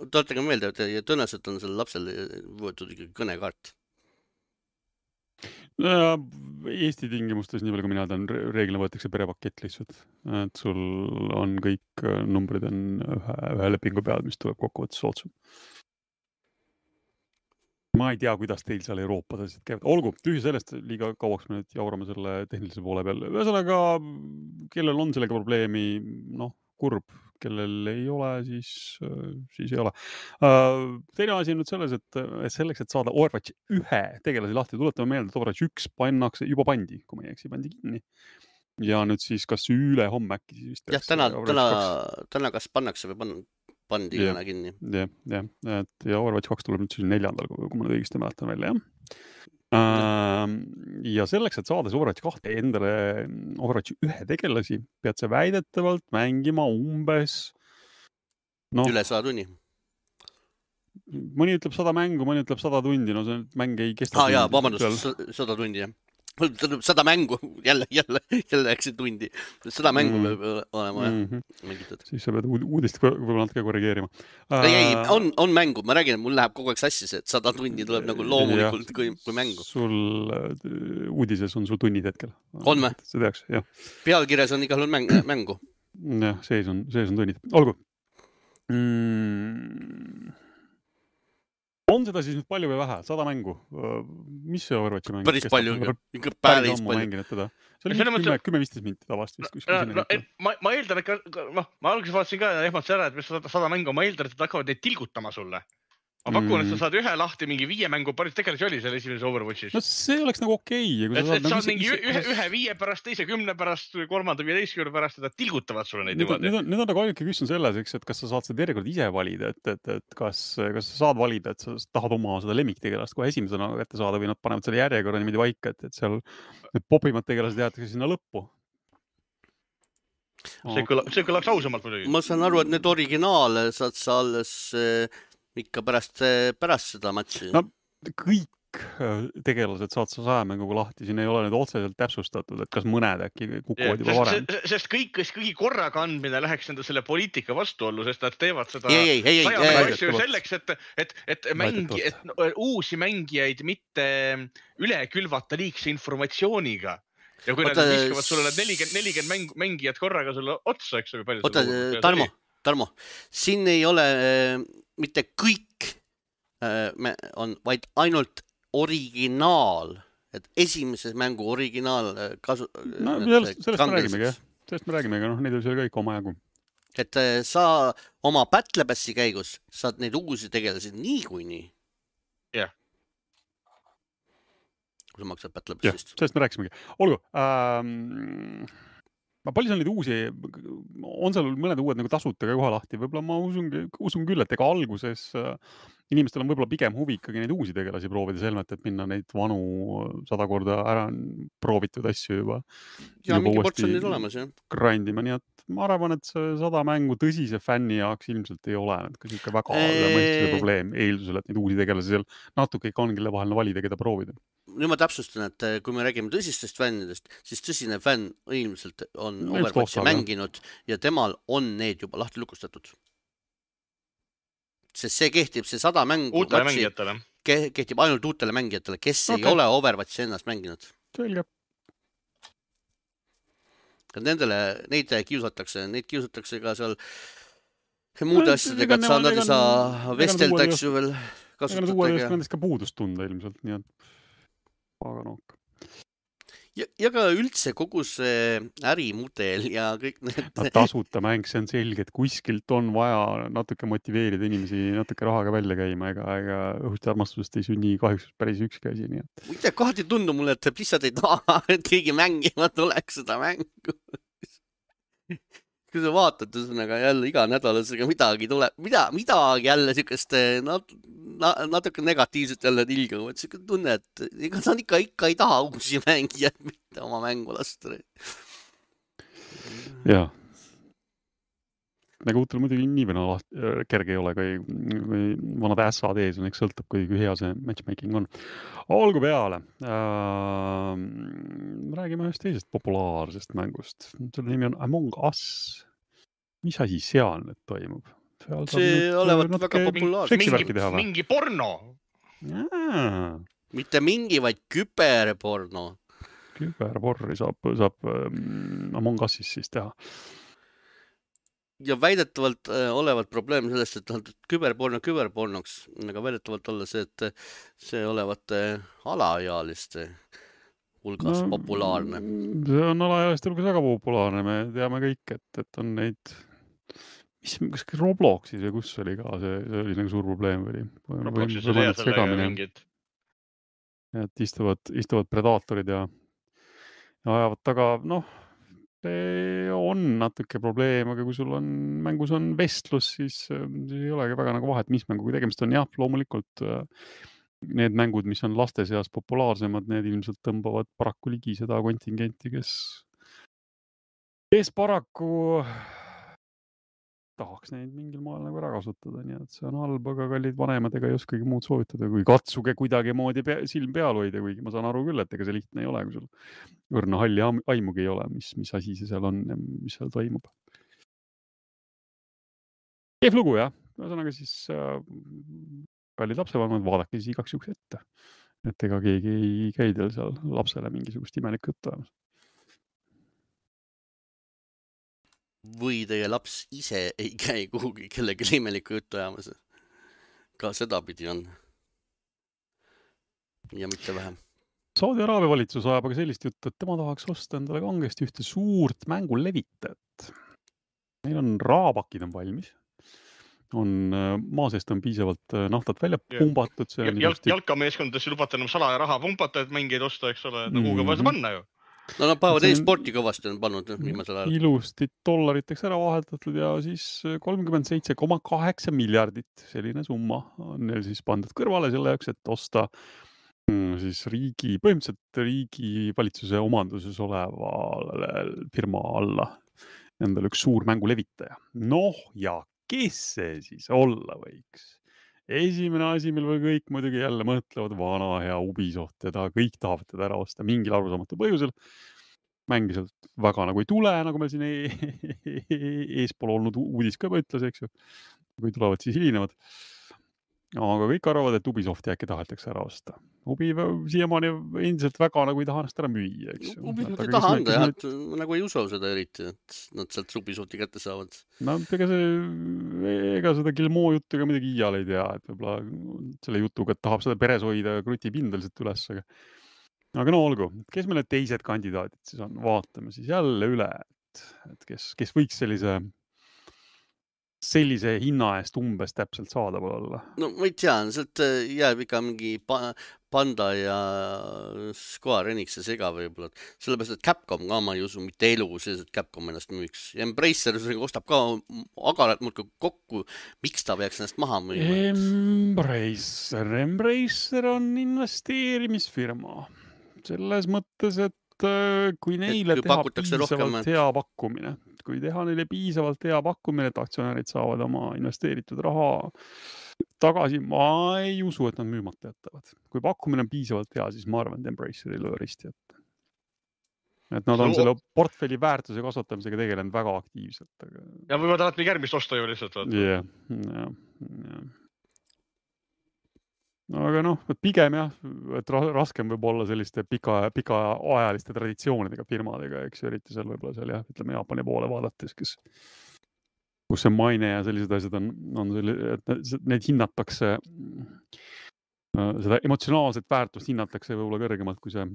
A: Tuletage meelde, et tõenäoliselt on sellel lapsel võetud ikkagi kõnekaart.
B: Eesti tingimustes, nii palju kui mina tean, reeglina võetakse perepakett lihtsalt. Et sul on kõik numbrid on ühe, ühe lepingu peal, mis tuleb kokkuvõttes soodsam. Ma ei tea, kuidas teil seal Euroopas asjad käivad. Olgu, tühi sellest, liiga kauaks me nüüd jaurame selle tehnilise poole peal. Ühesõnaga, kellel on sellega probleemi, noh, kurb, kellel ei ole, siis, siis ei ole. Teine asi on nüüd selles, et selleks, et saada Overwatch ühe tegelasi lahti, tuletame meelde, et Overwatch üks pannakse, juba pandi, kui ma ei eksi, pandi kinni. Ja nüüd siis kas üle homme äkki siis vist.
A: Jah, täna, täna, täna kas pannakse või pann, pandi ja, täna kinni.
B: Jah, jah, et ja Overwatch kaks tuleb nüüd siis neljandal, kui ma nüüd õigesti mäletan välja, jah. Ja selleks, et saada Overwatch kahte endale Overwatch ühe tegelasi, pead sa väidetavalt mängima umbes
A: no, üle sada tunni.
B: Mõni ütleb sada mängu, mõni ütleb sada tundi, no see mäng ei kesta.
A: Ah, jaa, vabandust, sada tundi, jah. Sada mängu, jälle, jälle, jälle äkki tundi. Sada mängu mm. peab olema mm -hmm. mängitud.
B: Siis sa pead uudist võib-olla natuke korrigeerima.
A: Ei, ei, on, on mängu. Ma räägin, et mul läheb kogu aeg sassi see, et sada tundi tuleb nagu loomulikult kui, kui mängu.
B: Sul uudises on sul tunnid hetkel.
A: On me?
B: See teaks, jah.
A: Pealkirjas on igal mäng, mängu.
B: Jah, sees on, sees on tunnid. Olgu. Mm. On seda siis nüüd palju või vähe? Sada mängu? Mis see Overwatchi mäng?
A: Päris palju, ikka päris palju.
B: See oli kümme, kümme viisteist minti tavast vist.
C: No, no, ma, ma eeldan, et ka, no, ma alguses vaatasin ka ja ehmatsin ära, et mis sada mängu, ma eeldan, et nad hakkavad neid tilgutama sulle. Ma pakun, et sa saad ühe lahti mingi viie mängu, päris tegelasi oli seal esimeses Overwatchis.
B: No see oleks nagu okei.
C: Okay. Et, et saad mingi ühe, ühe viie pärast, teise kümne pärast, kolmanda viieteistkümne pärast, et nad tilgutavad sulle neid niimoodi.
B: Nüüd on, nüüd on nagu ainuke küsimus selles, eks, et kas sa saad seda järjekord ise valida, et, et, et kas, kas sa saad valida, et sa tahad oma seda lemmiktegelast kohe esimesena kätte saada või nad panevad selle järjekorra niimoodi vaika, et, et seal need popimad tegelased jäetakse sinna lõppu.
C: See kõlab, see kõlab ausamalt muidugi.
A: Ma saan aru, et need originaale saad sa alles ikka pärast, pärast seda matši.
B: No kõik tegelased saad sa sajamänguga lahti, siin ei ole nüüd otseselt täpsustatud, et kas mõned äkki kukuvad juba varem.
C: Sest, sest kõik, kes kõigi korraga andmine läheks enda selle poliitika vastuollu, sest nad teevad seda
A: ei, ei, ei,
C: sajamängu asju selleks, et, et, et, mängi, et uusi mängijaid mitte üle külvata liigse informatsiooniga. Ja kui Oota, nad viskavad sulle nelikümmend, nelikümmend mängijad korraga sulle otsa, eks ole.
A: Oota, Tarmo, Tarmo, siin ei ole äh, mitte kõik äh, on, vaid ainult originaal, et esimeses mängu originaal kasu...
B: No, sellest, sellest me räägimegi, jah. Sellest me räägimegi, noh, neid oli seal kõik oma jagu.
A: Et äh, sa oma Battlebassi käigus saad neid uusi tegelasid nii kui nii.
C: Jah. Yeah.
A: Kui sa maksad Battlebassist.
B: Jah, sellest me rääkisimegi. Olgu, ähm, palju seal neid uusi, on seal mõned uued nagu tasuta ka kohe lahti, võib-olla ma usun, usun küll, et ega alguses inimestel on võib-olla pigem huvi ikkagi neid uusi tegelasi proovida selmet, et minna neid vanu sada korda ära proovitud asju juba.
A: Ja mingi ports on neid olemas, jah.
B: Grindima, nii et ma arvan, et see sada mängu tõsise fänni jaoks ilmselt ei ole. Ka siuke väga mõistuse probleem eeldusel, et neid uusi tegelasi seal natuke ikka on, kelle vahel valida, keda proovida.
A: Nüüd ma täpsustan, et kui me räägime tõsistest fännidest, siis tõsine fänn ilmselt on Overwatchi mänginud ja temal on need juba lahti lukustatud. Sest see kehtib, see sada mängu
C: uutele mängijatele.
A: Kehtib ainult uutele mängijatele, kes okay. ei ole Overwatchi ennast mänginud.
B: Selge.
A: Nendele, neid kiusatakse, neid kiusatakse ka seal muude asjadega, et saad nad ei saa vesteldaks ju veel kasutada.
B: Nendest ka puudust tunda ilmselt, nii et aga noh.
A: ja, ja ka üldse kogu see ärimudel ja kõik need
B: no, tasuta mäng, see on selge, et kuskilt on vaja natuke motiveerida inimesi natuke rahaga välja käima, ega, ega õhust ja armastusest ei sünni kahjuks päris ükski asi. Nii et...
A: muide, kohati ei tundu mulle, et lihtsalt ei taha, et keegi mängima tuleks seda mängu. kui sa vaatad, ühesõnaga jälle iga nädalasega midagi tuleb, mida, midagi jälle siukest nat, natuke negatiivset jälle tilgavad. Siuke tunne, et ega nad ikka, ikka ei taha uusi mängijad mitte oma mängu lasta.
B: Jaa. Nagu uutel muidugi nii või naa kerge ei ole, kui, kui vanad S A D-s on, eks sõltub, kui, kui hea see matchmaking on. Olgu peale. Äh, räägime ühest teisest populaarsest mängust. Selle nimi on Among Us. Mis asi seal nüüd toimub? Seal
A: see olevat väga populaarne.
C: Mingi, mingi porno.
B: Jaa.
A: Mitte mingi, vaid küberporno.
B: Küberporri saab, saab um, Among Usis siis teha.
A: Ja väidetavalt äh, olevat probleem sellest, et küberporno küberpornoks, aga väidetavalt olla see, et see olevat äh, alaealiste hulgas no, populaarne.
B: See on alaealiste hulgas väga populaarne, me teame kõik, et, et on neid, mis, kas Robloxis või kus oli ka, see, see oli nagu suur probleem või?
C: Robloxis oli hea selle mingid.
B: Et istuvad, istuvad predaatorid ja, ja ajavad taga, noh, see on natuke probleem, aga kui sul on mängus on vestlus, siis, siis ei olegi väga nagu vahet, mis mänguga tegemist on. Jah, loomulikult need mängud, mis on laste seas populaarsemad, need ilmselt tõmbavad paraku ligi seda kontingenti, kes, kes paraku tahaks neid mingil maal nagu ära kasutada, nii et see on halb, aga kallid vanemad ega ei oskagi muud soovitada, kui katsuge kuidagi moodi pea, silm peal hoida, kuigi ma saan aru küll, et ega see lihtne ei ole, kui sul õrna halli aimugi ei ole, mis, mis asi see seal on ja mis seal toimub. Kehv lugu, jah. Ühesõnaga siis äh, kallid lapsevanemad, vaadake siis igaks juhuks ette, et ega keegi ei käi teil seal lapsele mingisugust imelikku juttu ajamas.
A: Või teie laps ise ei käi kuhugi kellegi imelikku juttu ajamas. Ka seda pidi on. Ja mitte vähem.
B: Saudi Araabia valitsus ajab aga sellist juttu, et tema tahaks osta endale kangesti ühte suurt mängulevitajat. Neil on raabakid on valmis. On, maa seest on piisavalt naftat välja pumbatud. See on
C: Jalk, jalkameeskondades lubata enam salaja raha pumbata, et mängeid osta, eks ole. No kuhuga vaja panna ju.
A: No nad päevad e-sporti kõvasti on pannud viimasel ajal.
B: Ilusti dollariteks ära vahetatud ja siis kolmkümmend seitse koma kaheksa miljardit. Selline summa on neil siis pandud kõrvale selle jaoks, et osta siis riigi, põhimõtteliselt riigi valitsuse omanduses oleva firma alla endal üks suur mängulevitaja. Noh ja kes see siis olla võiks? Esimene asi, mil või kõik muidugi jälle mõtlevad vana hea Ubisoft, teda kõik tahavad teda ära osta mingil arusaamatu põhjusel. Mängi sealt väga nagu ei tule, nagu meil siin eespool olnud uudis ka juba ütles, eks ju. Kui tulevad, siis hilinevad. Aga kõik arvavad, et Ubisofti äkki tahetakse ära osta. Ubi siiamaani endiselt väga nagu ei taha ennast ära müüa, eks ju.
A: Ubisoft ei taha anda, jah, et nagu ei usu seda eriti, et nad sealt Ubisofti kätte saavad.
B: No, ega, see, ega seda Gilmo juttu ega midagi iial ei tea, et võib-olla selle jutuga, et tahab seda peres hoida kruti pindeliselt üles. Aga, aga no olgu, kes meile teised kandidaadid siis on? Vaatame siis jälle üle, et, et kes, kes võiks sellise sellise hinna eest umbes täpselt saada või olla?
A: No ma ei tea, sealt jääb ikka mingi Panda ja Square Enix ja sega võib-olla. Sellepärast, et Capcom ka ma ei usu mitte elu sees, et Capcom ennast müüks. Ja Embracer ostab ka agarat muudkui kokku. Miks ta peaks ennast maha müüma?
B: Embracer. Embracer on investeerimisfirma. Selles mõttes, et kui neile kui teha piisavalt rohkem, hea pakkumine, kui teha neile piisavalt hea pakkumine, et aktsionärid saavad oma investeeritud raha tagasi, ma ei usu, et nad müümata jätavad. Kui pakkumine on piisavalt hea, siis ma arvan, et Embracer ei löö risti ette. Et nad on selle portfelli väärtuse kasvatamisega tegelenud väga aktiivselt. Aga...
C: Ja võivad alati järgmist osta ju lihtsalt.
B: Jah, jah, jah. Aga noh, pigem jah, et raskem võib olla selliste pika, pika ajaliste traditsioonidega firmadega, eks eriti seal võib-olla seal jah, ütleme Jaapani poole vaadates, kes, kus see maine ja sellised asjad on, on selline, et need hinnatakse, seda emotsionaalset väärtust hinnatakse võib-olla kõrgemalt kui see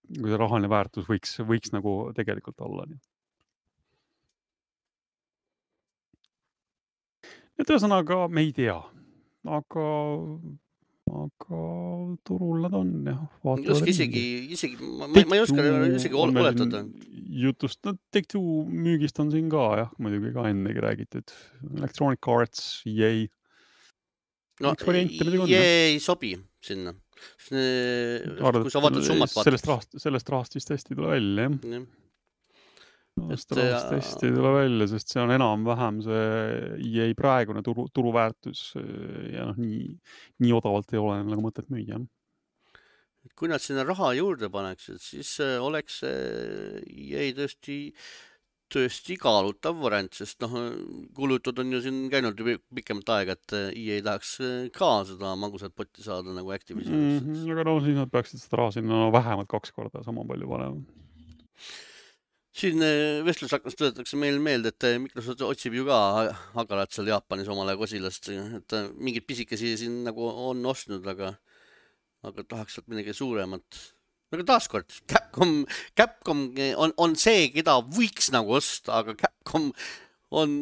B: kui see rahaline väärtus võiks, võiks nagu tegelikult olla. Et ühesõnaga me ei tea, aga, aga turul nad on jah.
A: Oska isegi, isegi, ma, ma, ma ei oska isegi oletada.
B: Jutust, no Take-Two müügist on siin ka jah, muidugi ka ennegi räägitud. Electronic Arts, E A.
A: No E A ei sobi sinna.
B: Arvad,
A: kui sa vaatad summat vaatad.
B: Sellest rahast, sellest rahast vist hästi tule välja, jah. Ja. Sellest rahast hästi tule välja, sest see on enam-vähem see E A praegune turu, turuväärtus ja noh, nii, nii odavalt ei ole nagu mõtet müüa.
A: Kui nad sinna raha juurde paneks, siis oleks E A tõesti, tõesti kaalutav variant, sest noh, kulutud on ju siin käinud pikemat aega, et E A tahaks ka seda magusat potti saada nagu Activisionist.
B: Mm -hmm, aga no siis nad peaksid seda raha sinna no, vähemalt kaks korda sama palju panema.
A: Siin vestlusaknas tõdetakse meil meelde, et Microsoft otsib ju ka hagalat seal Jaapanis omale kosilast, et mingid pisikesi siin nagu on ostnud, aga, aga tahaks sealt midagi suuremat. Aga taaskord, Capcom, Capcom on, on see, keda võiks nagu osta, aga Capcom on,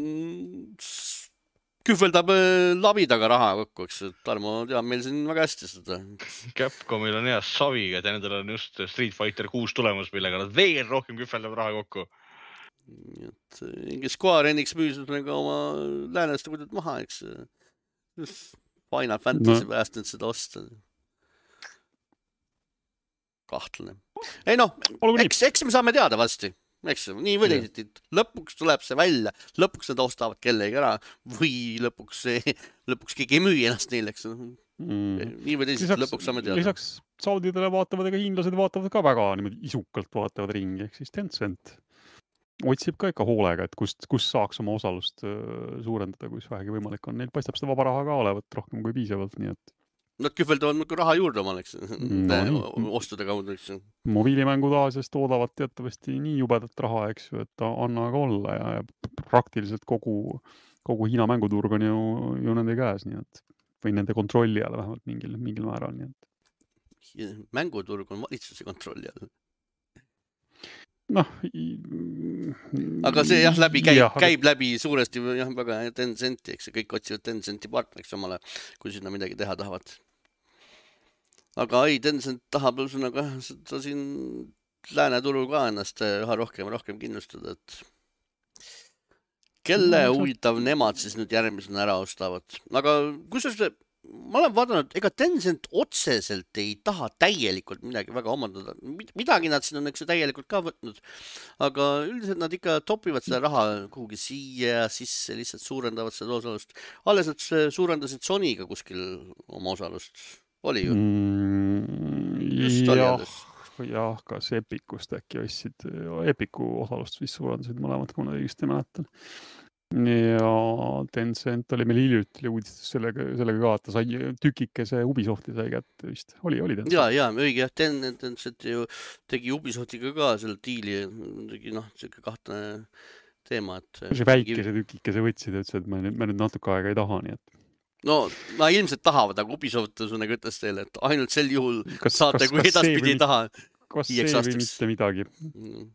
A: kühveldab labi taga raha kokku, eks Tarmo teab meil siin väga hästi seda.
C: Capcomil on hea saviga, et nendel on just Street Fighter kuus tulemus, millega nad veel rohkem kühveldab raha kokku.
A: Et ingi Square Enix müüs nagu oma lääneste kuidagi maha, eks Final Fantasy no. Pääst nüüd seda osta. Kahtlane. Ei noh, eks, eks me saame teada vasti. Eks nii või teisiti, lõpuks tuleb see välja, lõpuks nad ostavad kellegi ära või lõpuks, lõpuks keegi ei müü ennast neile, eks mm. nii või teisiti, lõpuks saame teada.
B: Lisaks saudidele vaatavad ega hiinlased vaatavad ka väga niimoodi isukalt vaatavad ringi, ehk siis Tencent otsib ka ikka hoolega, et kust, kust saaks oma osalust suurendada, kus vähegi võimalik on. Neil paistab seda vaba raha ka olevat rohkem kui piisavalt, nii et
A: Nad kühveldavad nagu raha juurde oma, eks, no, ostude kaudu, eks.
B: Mobiilimängud Aasias toodavad teatavasti nii jubedat raha, eks ju, et anna aga olla ja, ja praktiliselt kogu, kogu Hiina mänguturg on ju, ju nende käes, nii et, või nende kontrolli all vähemalt mingil, mingil määral, nii et.
A: Mänguturg on valitsuse kontrolli all.
B: Noh,
A: aga see jah, läbi käib, jah, käib läbi suuresti jah, väga Tencenti, eks kõik otsivad Tencenti partneriks omale, kui sinna midagi teha tahavad. Aga ei, Tencent tahab ühesõnaga seda siin lääneturul ka ennast üha rohkem rohkem kindlustada, et kelle huvitav nemad siis nüüd järgmisena ära ostavad. Aga kusjuures ma olen vaadanud, ega Tencent otseselt ei taha täielikult midagi väga omandada. Midagi nad siin on eks täielikult ka võtnud, aga üldiselt nad ikka topivad seda raha kuhugi siia sisse, lihtsalt suurendavad seda osalust. Alles nad suurendasid Sonyga kuskil oma osalust. Oli ju?
B: Mm, jah, jah, kas Epicust äkki ostsid, Epicu osalust vist suurendasid mõlemad, kui ma õigesti mäletan. Ja Tencent oli meil hiljuti uudistus sellega, sellega ka, et ta sai tükikese Ubisofti sai kätte vist. Oli, oli Tencent?
A: Jaa, jaa, õige, jah, Tencent ju tegi Ubisoftiga ka selle diili, tegi noh, selline kahtlane teema, et
B: see väikese tükikese võtsid ja ütles, et me nüüd, me nüüd natuke aega ei taha, nii et
A: no, ma ilmselt tahavad, aga Ubisoft suunega ütles teile, et ainult sel juhul kas, saate, kas, kui kas edaspidi ei taha.
B: Kas see või mitte midagi? Mm.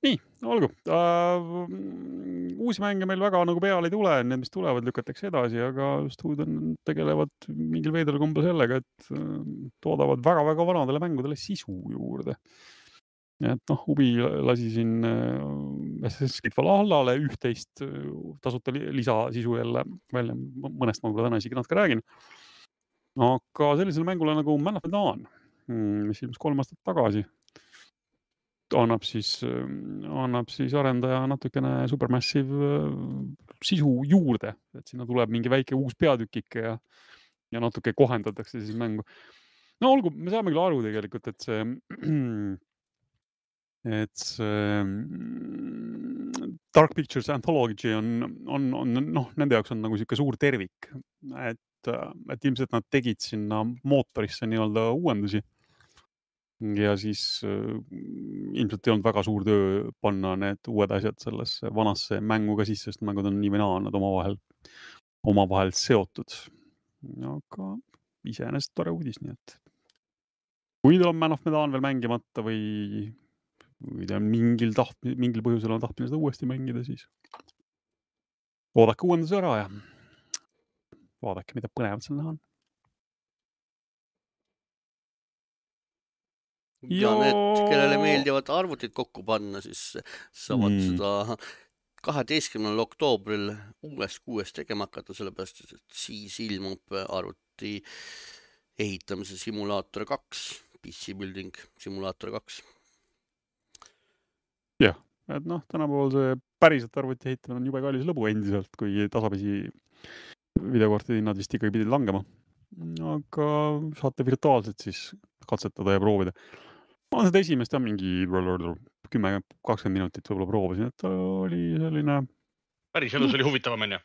B: Nii, olgu. Uh, uusi mänge meil väga nagu peale ei tule, need, mis tulevad, lükatakse edasi, aga stuudiod tegelevad mingil veidral kombel sellega, et uh, toodavad väga-väga vanadele mängudele sisu juurde. Et noh, Ubi lasi siin Assassin's Creed Valhallale üht-teist tasuta lisasisu jälle välja, mõnest ma võib-olla täna isegi natuke räägin. Aga sellisele mängule nagu Man of Medan, mis ilmus kolm aastat tagasi, annab siis, annab siis arendaja natukene Supermassive sisu juurde, et sinna tuleb mingi väike uus peatükike ja, ja natuke kohendatakse siis mängu. No olgu, me saame küll aru tegelikult, et see et see Dark Pictures Anthology on, on, on noh, nende jaoks on nagu siuke suur tervik, et, et ilmselt nad tegid sinna mootorisse nii-öelda uuendusi ja siis ilmselt ei olnud väga suur töö panna need uued asjad sellesse vanasse mängu ka sisse, sest mängud on nii või naa, nad omavahel, omavahel seotud. Aga iseenesest tore uudis, nii et kui teil on Man of Medan veel mängimata või, või te on mingil, taht, mingil põhjusel on tahtmine seda uuesti mängida, siis oodake uuenduse ära ja vaadake, mida põnevat seal näha on.
A: Ja need, kellele meeldivad arvutid kokku panna, siis saavad mm. seda kaheteistkümnendal oktoobril uuest kuuest tegema hakata, sellepärast, et siis ilmub arvuti ehitamise simulaator kaks, P C Building simulaator kaks.
B: Jah, et noh, tänapäeval see päriselt arvuti ehitamine on jube kallis lõbu endiselt, kui tasapisi videokortide hinnad vist ikkagi pidid langema. Aga saate virtuaalselt siis katsetada ja proovida. Ma seda esimest ja mingi kümme kakskümmend minutit võib-olla proovisin, et oli selline...
C: Päris elus oli huvitavam, enne?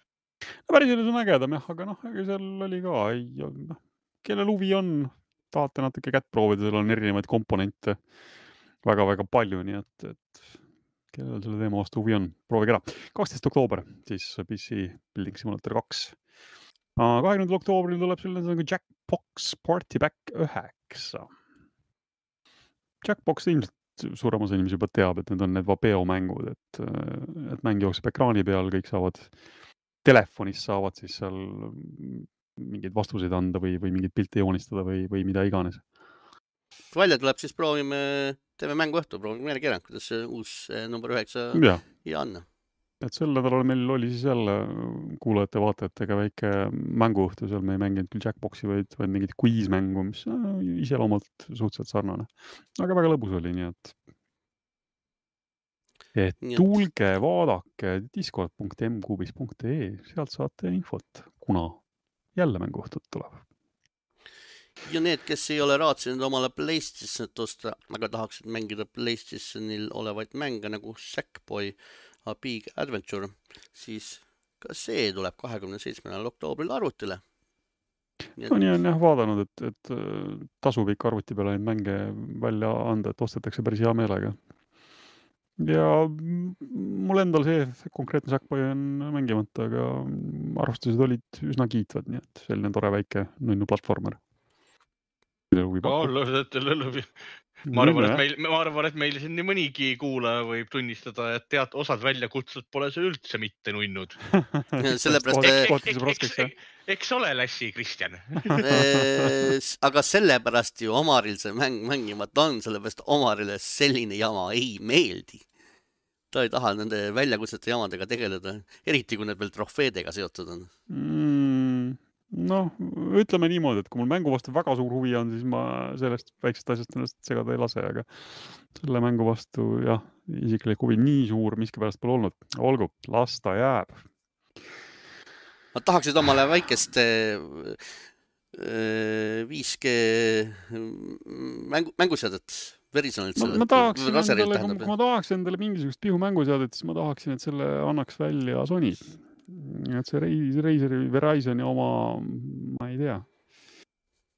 B: Päris elus on ägedam, jah, aga noh, seal oli ka, ei, noh, kellel huvi on, tahate natuke kätt proovida, seal on erinevaid komponente väga-väga palju, nii et, et kellel selle teema vastu huvi on, proovige ära. kaksteist oktoober, siis P C Building Simulator kaks. kahekümnendal oktoobril tuleb selline nagu Jackbox Party Pack üheksa. Jackbox ilmselt suurem osa inimesi juba teab, et need on need Vapeo mängud, et, et mäng jookseb ekraani peal, kõik saavad, telefonis saavad siis seal mingeid vastuseid anda või, või mingeid pilte joonistada või, või mida iganes.
A: Välja tuleb, siis proovime, teeme mängu õhtu, proovime meile kerang, kuidas see uus number üheksa
B: ja.
A: ja on.
B: Et sel nädalal meil oli siis jälle kuulajate vaatajatega väike mänguõhtu, seal me ei mänginud küll Jackboxi, vaid, vaid mingit quiz-mängu, mis iseloomalt suhteliselt sarnane. Aga väga lõbus oli, nii et, et tulge, vaadake discord punkt m kubis punkt e, sealt saate infot, kuna jälle mänguõhtut tuleb.
A: Ja need, kes ei ole raatsinud omale PlayStationit osta, aga tahaksid mängida PlayStationil olevaid mänge nagu Sackboy, A Big Adventure, siis ka see tuleb kahekümne seitsmendal oktoobril arvutile.
B: Nii on jah, jah vaadanud, et, et tasub ikka arvuti peale neid mänge välja anda, et ostetakse päris hea meelega. Ja mul endal see konkreetne Sackboy on mängimata, aga arvustused olid üsna kiitvad, nii et selline tore väike nunnu platformer.
C: Ma arvan, et meil, ma arvan, et meil siin nii mõnigi kuulaja võib tunnistada, et tead, osad väljakutsud pole see üldse mitte nunnud.
A: Sellepärast,
C: eks, eks ole Lassi, Kristjan.
A: Aga sellepärast ju Omaril see mäng mängimata on, sellepärast Omarile selline jama ei meeldi. Ta ei taha nende väljakutsete jamadega tegeleda, eriti kui need veel trofeedega seotud on.
B: Mm. Noh, ütleme niimoodi, et kui mul mängu vastu väga suur huvi on, siis ma sellest väiksest asjast ennast segada ei lase, aga selle mängu vastu, jah, isiklik huvi nii suur, miskipärast pole olnud. Olgu, las ta jääb.
A: Ma tahaksid omale väikest viis G mängu, mänguseadet verisonilt selle.
B: Ma, ma, tahaksin endale, kui ma tahaksin endale mingisugust pihu mänguseadet, siis ma tahaksin, et selle annaks välja Sony. Et see Razeri, Verizoni oma, ma ei tea,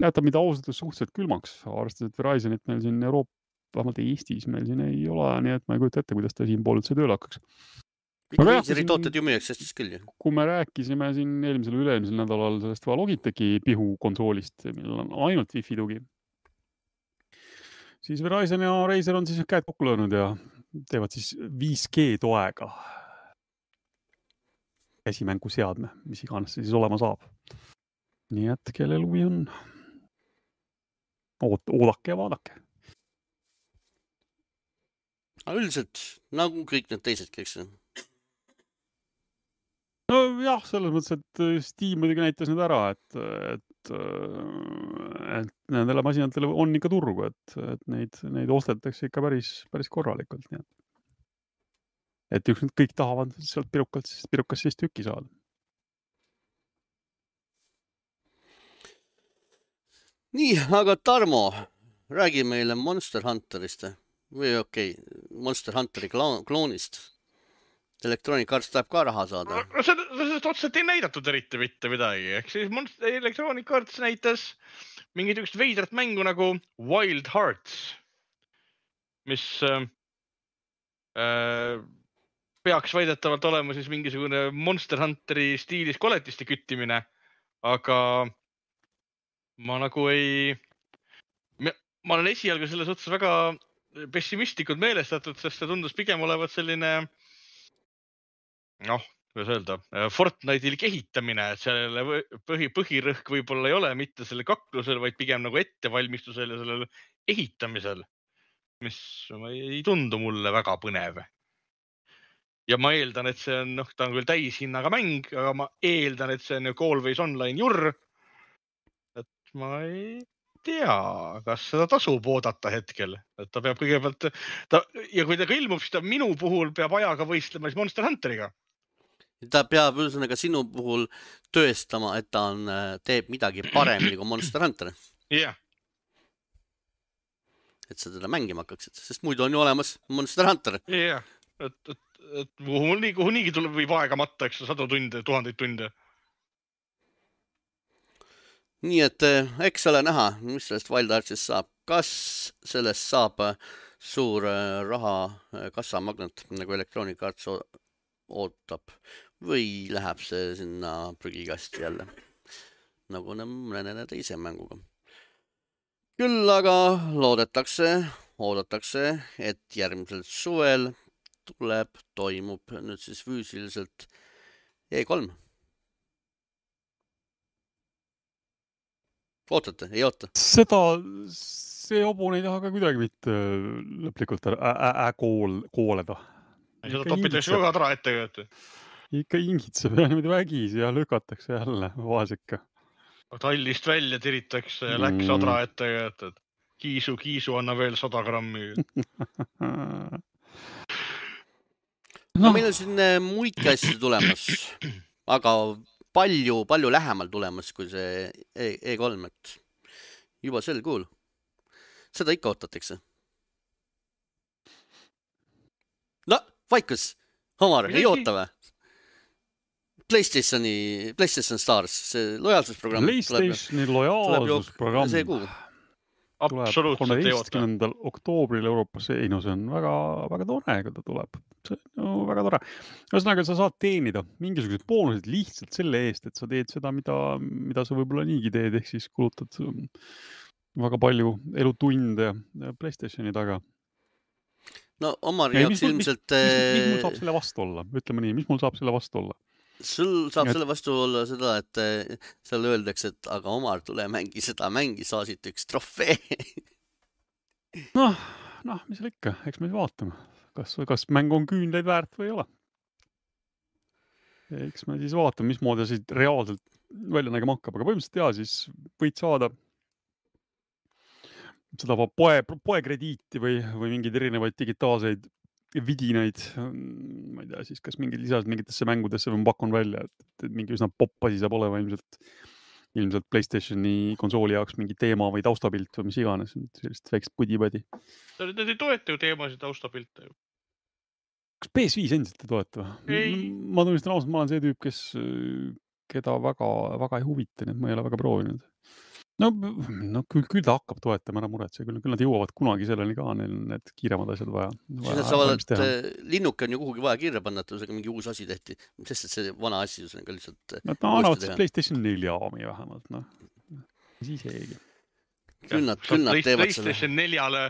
B: jätab mida ausatud suhteliselt külmaks, arvestades, et Verizonit meil siin Euroopa, vähemalt Eestis meil siin ei ole, nii et ma ei kujuta ette, kuidas ta siin pool üldse tööle hakkaks.
A: Razeri tooted ju müüaks Eestis küll ju.
B: Kui me rääkisime siin eelmisel üle-eelmisel nädalal sellest Logitechi pihu konsoolist, millel on ainult Wi-Fi tugi, siis Verizon ja Razer on siis käed kokku löönud ja teevad siis viis G toega käsimängu seadme, mis iganes siis olema saab. Nii et kellel huvi on, Oot, oodake ja vaadake.
A: Aga üldiselt, nagu kõik need teisedki, eks?
B: No jah, selles mõttes, et Steam muidugi näitas nüüd ära, et, et, et nendele masinatele on ikka turgu, et, et neid, neid ostetakse ikka päris, päris korralikult. Nii et. Et üks nüüd kõik tahavad sealt pirukalt, pirukas siis tükki saada.
A: Nii, aga Tarmo, räägi meile Monster Hunterist või okei, okay, Monster Hunteri kloonist. Electronic Arts tahab ka raha saada.
C: No, sellest otseselt ei näidatud eriti mitte midagi. Ehk siis Monster, Electronic Arts näitas mingit üks veidrat mängu nagu Wild Hearts, mis äh, peaks väidetavalt olema siis mingisugune Monster Hunteri stiilis koletiste küttimine, aga ma nagu ei... ma olen esialgu selles suhtes väga pessimistlikult meelestatud, sest see tundus pigem olevat selline, noh, kuidas öelda, Fortnite'il kehitamine, et sellele põhi, põhirõhk võib-olla ei ole mitte selle kaklusel, vaid pigem nagu ettevalmistusel ja sellel ehitamisel, mis ei tundu mulle väga põnev. Ja ma eeldan, et see on, noh, ta on küll täishinnaga mäng, aga ma eeldan, et see on ju Always Online jurr. Et ma ei tea, kas seda tasub oodata hetkel, et ta peab kõigepealt, ta, ja kui ta ka ilmub, siis ta minu puhul peab ajaga võistlema siis Monster Hunteriga.
A: Ta peab üldse sinu puhul tõestama, et ta on, teeb midagi paremini kui Monster Hunter.
C: Jah.
A: Et sa teda mängima hakkaksid, sest muidu on ju olemas Monster Hunter.
C: Jah, et, et, et kuhu, kuhu niigi tuleb, võib aega matta, eks sadu tunde, tuhandeid tunde.
A: Nii et eks ole näha, mis sellest Wild Artsist saab. Kas sellest saab suur raha kassamagnet, nagu Electronic Arts ootab, või läheb see sinna prügikasti jälle, nagu mõne teise mänguga. Küll aga loodetakse, oodatakse, et järgmisel suvel tuleb, toimub nüüd siis füüsiliselt E kolm. Ootate, ei oota?
B: Seda, see hobune ei taha ka kuidagi mitte lõplikult äkool kooleda.
C: Seda topitakse väga tara ette.
B: Ikka ingitseb ja niimoodi vägisi ja lükatakse jälle vaasika.
C: Tallist välja tiritakse ja läks adra ette, et kiisu, kiisu anna veel sada grammi.
A: No, meil on siin muidki asju tulemas, aga palju, palju lähemal tulemas kui see E kolm, et juba sel kuul. Seda ikka ootatakse. No, vaikus, Homar, ei oota või? PlayStationi, PlayStation Stars, see lojaalsusprogramm.
B: PlayStationi lojaalsusprogramm
A: see kuu.
C: Absoluutselt ei oota.
B: kolmeteistkümnendal oktoobril Euroopas, ei no see on väga, väga tore, kui ta tuleb. See on no, väga tore. Ühesõnaga, sa saad teenida mingisugused boonused lihtsalt selle eest, et sa teed seda, mida, mida sa võib-olla niigi teed, ehk siis kulutad väga palju elutunde PlayStationi taga.
A: No Omar jaoks ilmselt...
B: Mis, mis, mis mul saab selle vastu olla? Ütleme nii, mis mul saab selle vastu olla?
A: Sul saab et... selle vastu olla seda, et seal öeldakse, et aga Omar, tule mängi seda mängi, saasid üks trofee.
B: noh, noh, mis seal ikka, eks me vaatame, kas, kas mäng on küünleid väärt või ei ole. Eks me siis vaatame, mis moodi siit reaalselt välja nägema hakkab, aga põhimõtteliselt jaa, siis võid saada seda poe, poekrediiti või, või mingeid erinevaid digitaalseid vidinaid, ma ei tea, siis kas mingid lisad mingitesse mängudesse või ma pakun välja, et, et mingi üsna popp asi saab olema ilmselt, ilmselt PlayStationi konsooli jaoks mingi teema või taustapilt või mis iganes, sellist väikest pudi-padi.
C: Need ei toeta ju teemasid taustapilte.
B: Kas P S viis endiselt ei toeta? Ma tunnistan ausalt, ma olen see tüüp, kes, keda väga, väga ei huvita, nii et ma ei ole väga proovinud. No, no küll, küll ta hakkab toetama, ära muretse, küll, küll nad jõuavad kunagi selleni ka, neil need kiiremad asjad vaja.
A: vaja saavad, et linnuke on ju kuhugi vaja kirja panna, et mingi uus asi tehti, sest et see vana asi on ka lihtsalt...
B: Nad annavad siis PlayStation neli aami vähemalt, noh. Siis eegi.
A: Küll nad, küll nad teevad selle.
C: PlayStation neljale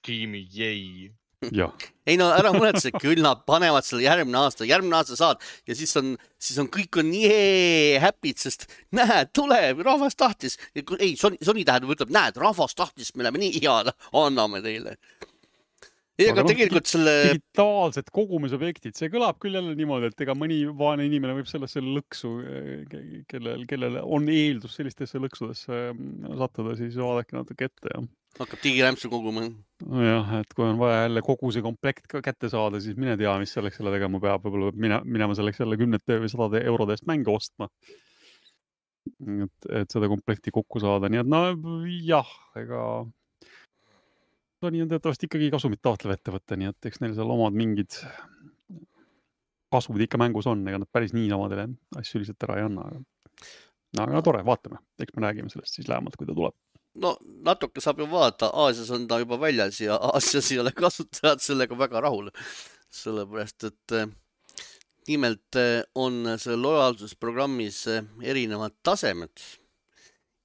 C: tiimi, jäi.
B: Ja.
A: Ei no ära muretse, küll nad panevad selle järgmine aasta, järgmine aasta saad ja siis on, siis on kõik on nii happy'd, sest näed, tuleb, rahvas tahtis. Ei, Sony, Sony tähendab, ütleb, näed, rahvas tahtis, me läheme nii head, anname teile. Ei, aga, aga tegelikult selle...
B: Digitaalsed kogumisobjektid, see kõlab küll jälle niimoodi, et ega mõni vaene inimene võib sellesse lõksu, kellel, kellel on eeldus sellistesse lõksudesse sattuda, siis vaadake natuke ette ja...
A: Hakkab digirämpsu koguma.
B: No jah, et kui on vaja jälle kogu see komplekt kätte saada, siis mine tea, mis selleks selle tegema peab. Võib-olla mine, minema selleks jälle kümnete või sadade eurode eest mänge ostma. Et, et seda komplekti kokku saada. Nii et no jah, ega Sony on teatavasti ikkagi kasumit taotlev ettevõtte, nii et eks neil seal omad mingid kasvud ikka mängus on, ega nad päris nii samadele asju lihtsalt ära ei anna. Aga, aga tore, vaatame. Eks me räägime sellest siis lähemalt, kui ta tuleb.
A: No natuke saab ju vaadata, Aasias on ta juba väljas ja Aasias ei ole kasutajad sellega väga rahul. Sellepärast, et nimelt on see lojaalsusprogrammis erinevad tasemed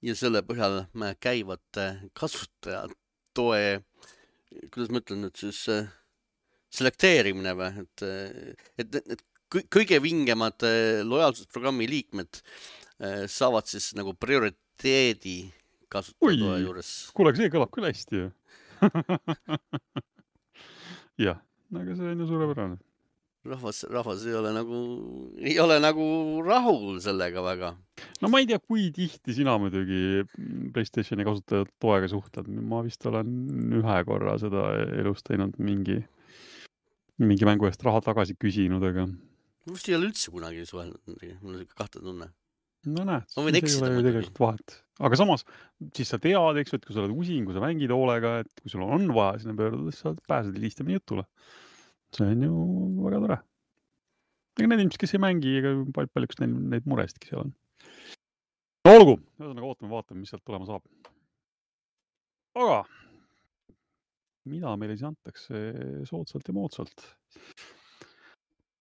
A: ja selle põhjal käivate kasutajad toe, kuidas ma ütlen nüüd siis, selekteerimine või, et, et, et kõige vingemad lojaalsusprogrammi liikmed saavad siis nagu prioriteedi kasutajatoe juures.
B: Kuule, see kõlab küll hästi ju. jah, aga see on ju suurepärane.
A: Rahvas, rahvas ei ole nagu, ei ole nagu rahul sellega väga.
B: No ma ei tea, kui tihti sina muidugi PlayStationi kasutajat toega suhtled. Ma vist olen ühe korra seda elus teinud mingi, mingi mängu eest raha tagasi küsinud, aga...
A: Ma vist ei ole üldse kunagi suhelnud, mul on kahte tunne.
B: No näed,
A: ma võin eksida
B: tegelikult vahet. Aga samas, siis sa tead, eks, et kui sa oled usin, kui sa mängid hoolega, et kui sul on vaja sinna pöörduda, siis sa pääsed lihtsamini jutule. See on ju väga tore. Ega need inimesed, kes ei mängi, ega paljuks neid, neid murestki seal on. No olgu, ühesõnaga ootame, vaatame, mis sealt tulema saab. Aga mida meile siis antakse soodsalt ja moodsalt?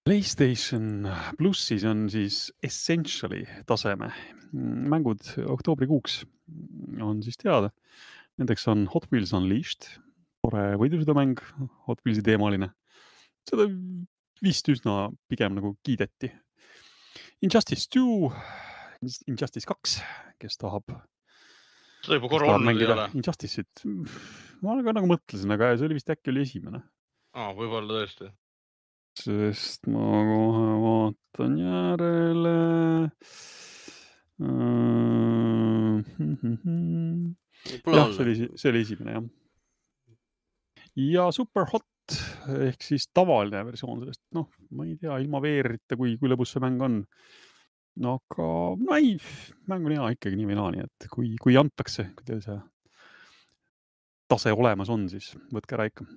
B: PlayStation Plussis on siis Essentially taseme. Mängud oktoobrikuuks on siis teada. Nendeks on Hot Wheels Unleashed, tore võidusõidumäng, Hot Wheelsi teemaline. Seda vist üsna pigem nagu kiideti. Injustice two, Injustice kaks, kes tahab,
C: seda juba korra olnud ei ole.
B: Injustice'it. Ma ka nagu mõtlesin, aga see oli vist äkki oli esimene.
C: Aa, võib-olla tõesti.
B: Sest ma kohe vaatan järele. jah, see oli, see oli esimene, jah. Ja Super Hot ehk siis tavaline versioon sellest. Noh, ma ei tea, ilma veerita, kui, kui lõbus see mäng on. No aga, no ei, mäng on hea ikkagi nii või naa, nii et kui, kui antakse, kui teil see tase olemas on, siis võtke ära ikka.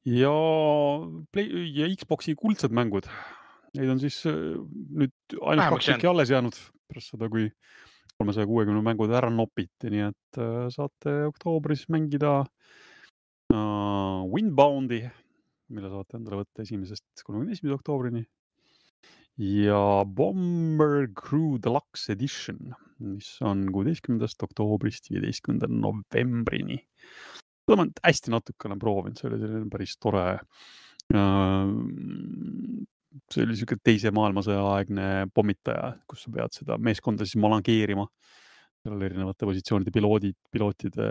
B: Ja, Play, ja Xboxi kuldsed mängud. Neid on siis nüüd ainult kaks tükki alles jäänud pärast seda, kui kolmesaja kuuekümne mängud ära nopiti, nii et saate oktoobris mängida uh, Windboundi, mille saate endale võtta esimesest kolmekümne esimese oktoobrini ja Bomber Crew Deluxe Edition, mis on kuueteistkümnendast oktoobrist viieteistkümnenda novembrini. Seda ma hästi natukene proovinud, see oli selline päris tore. See oli selline teise maailmasõja aegne pommitaja, kus sa pead seda meeskonda siis malangeerima. Seal oli erinevate positsioonide piloodid, pilootide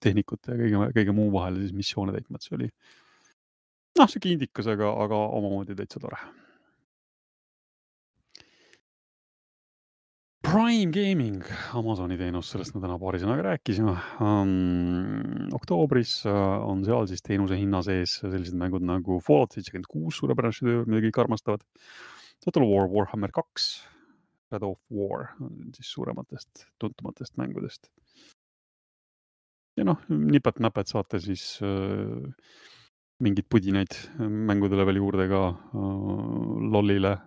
B: tehnikute ja kõige, kõige muu vahel siis missioone täitma. See oli noh, see kindikas, aga, aga omamoodi täitsa tore. Prime Gaming, Amazoni teenus, sellest me täna paari sõnaga rääkisime. Um, oktoobris on seal siis teenuse hinna sees sellised mängud nagu Fallout seitsekümmend kuus, suurepärane šedöör, mida kõik armastavad. Total War Warhammer kaks, Shadow of War, siis suurematest, tuntumatest mängudest. Ja noh, nipet-näpet saate siis uh, mingid pudinaid mängudele veel juurde ka uh, lollile,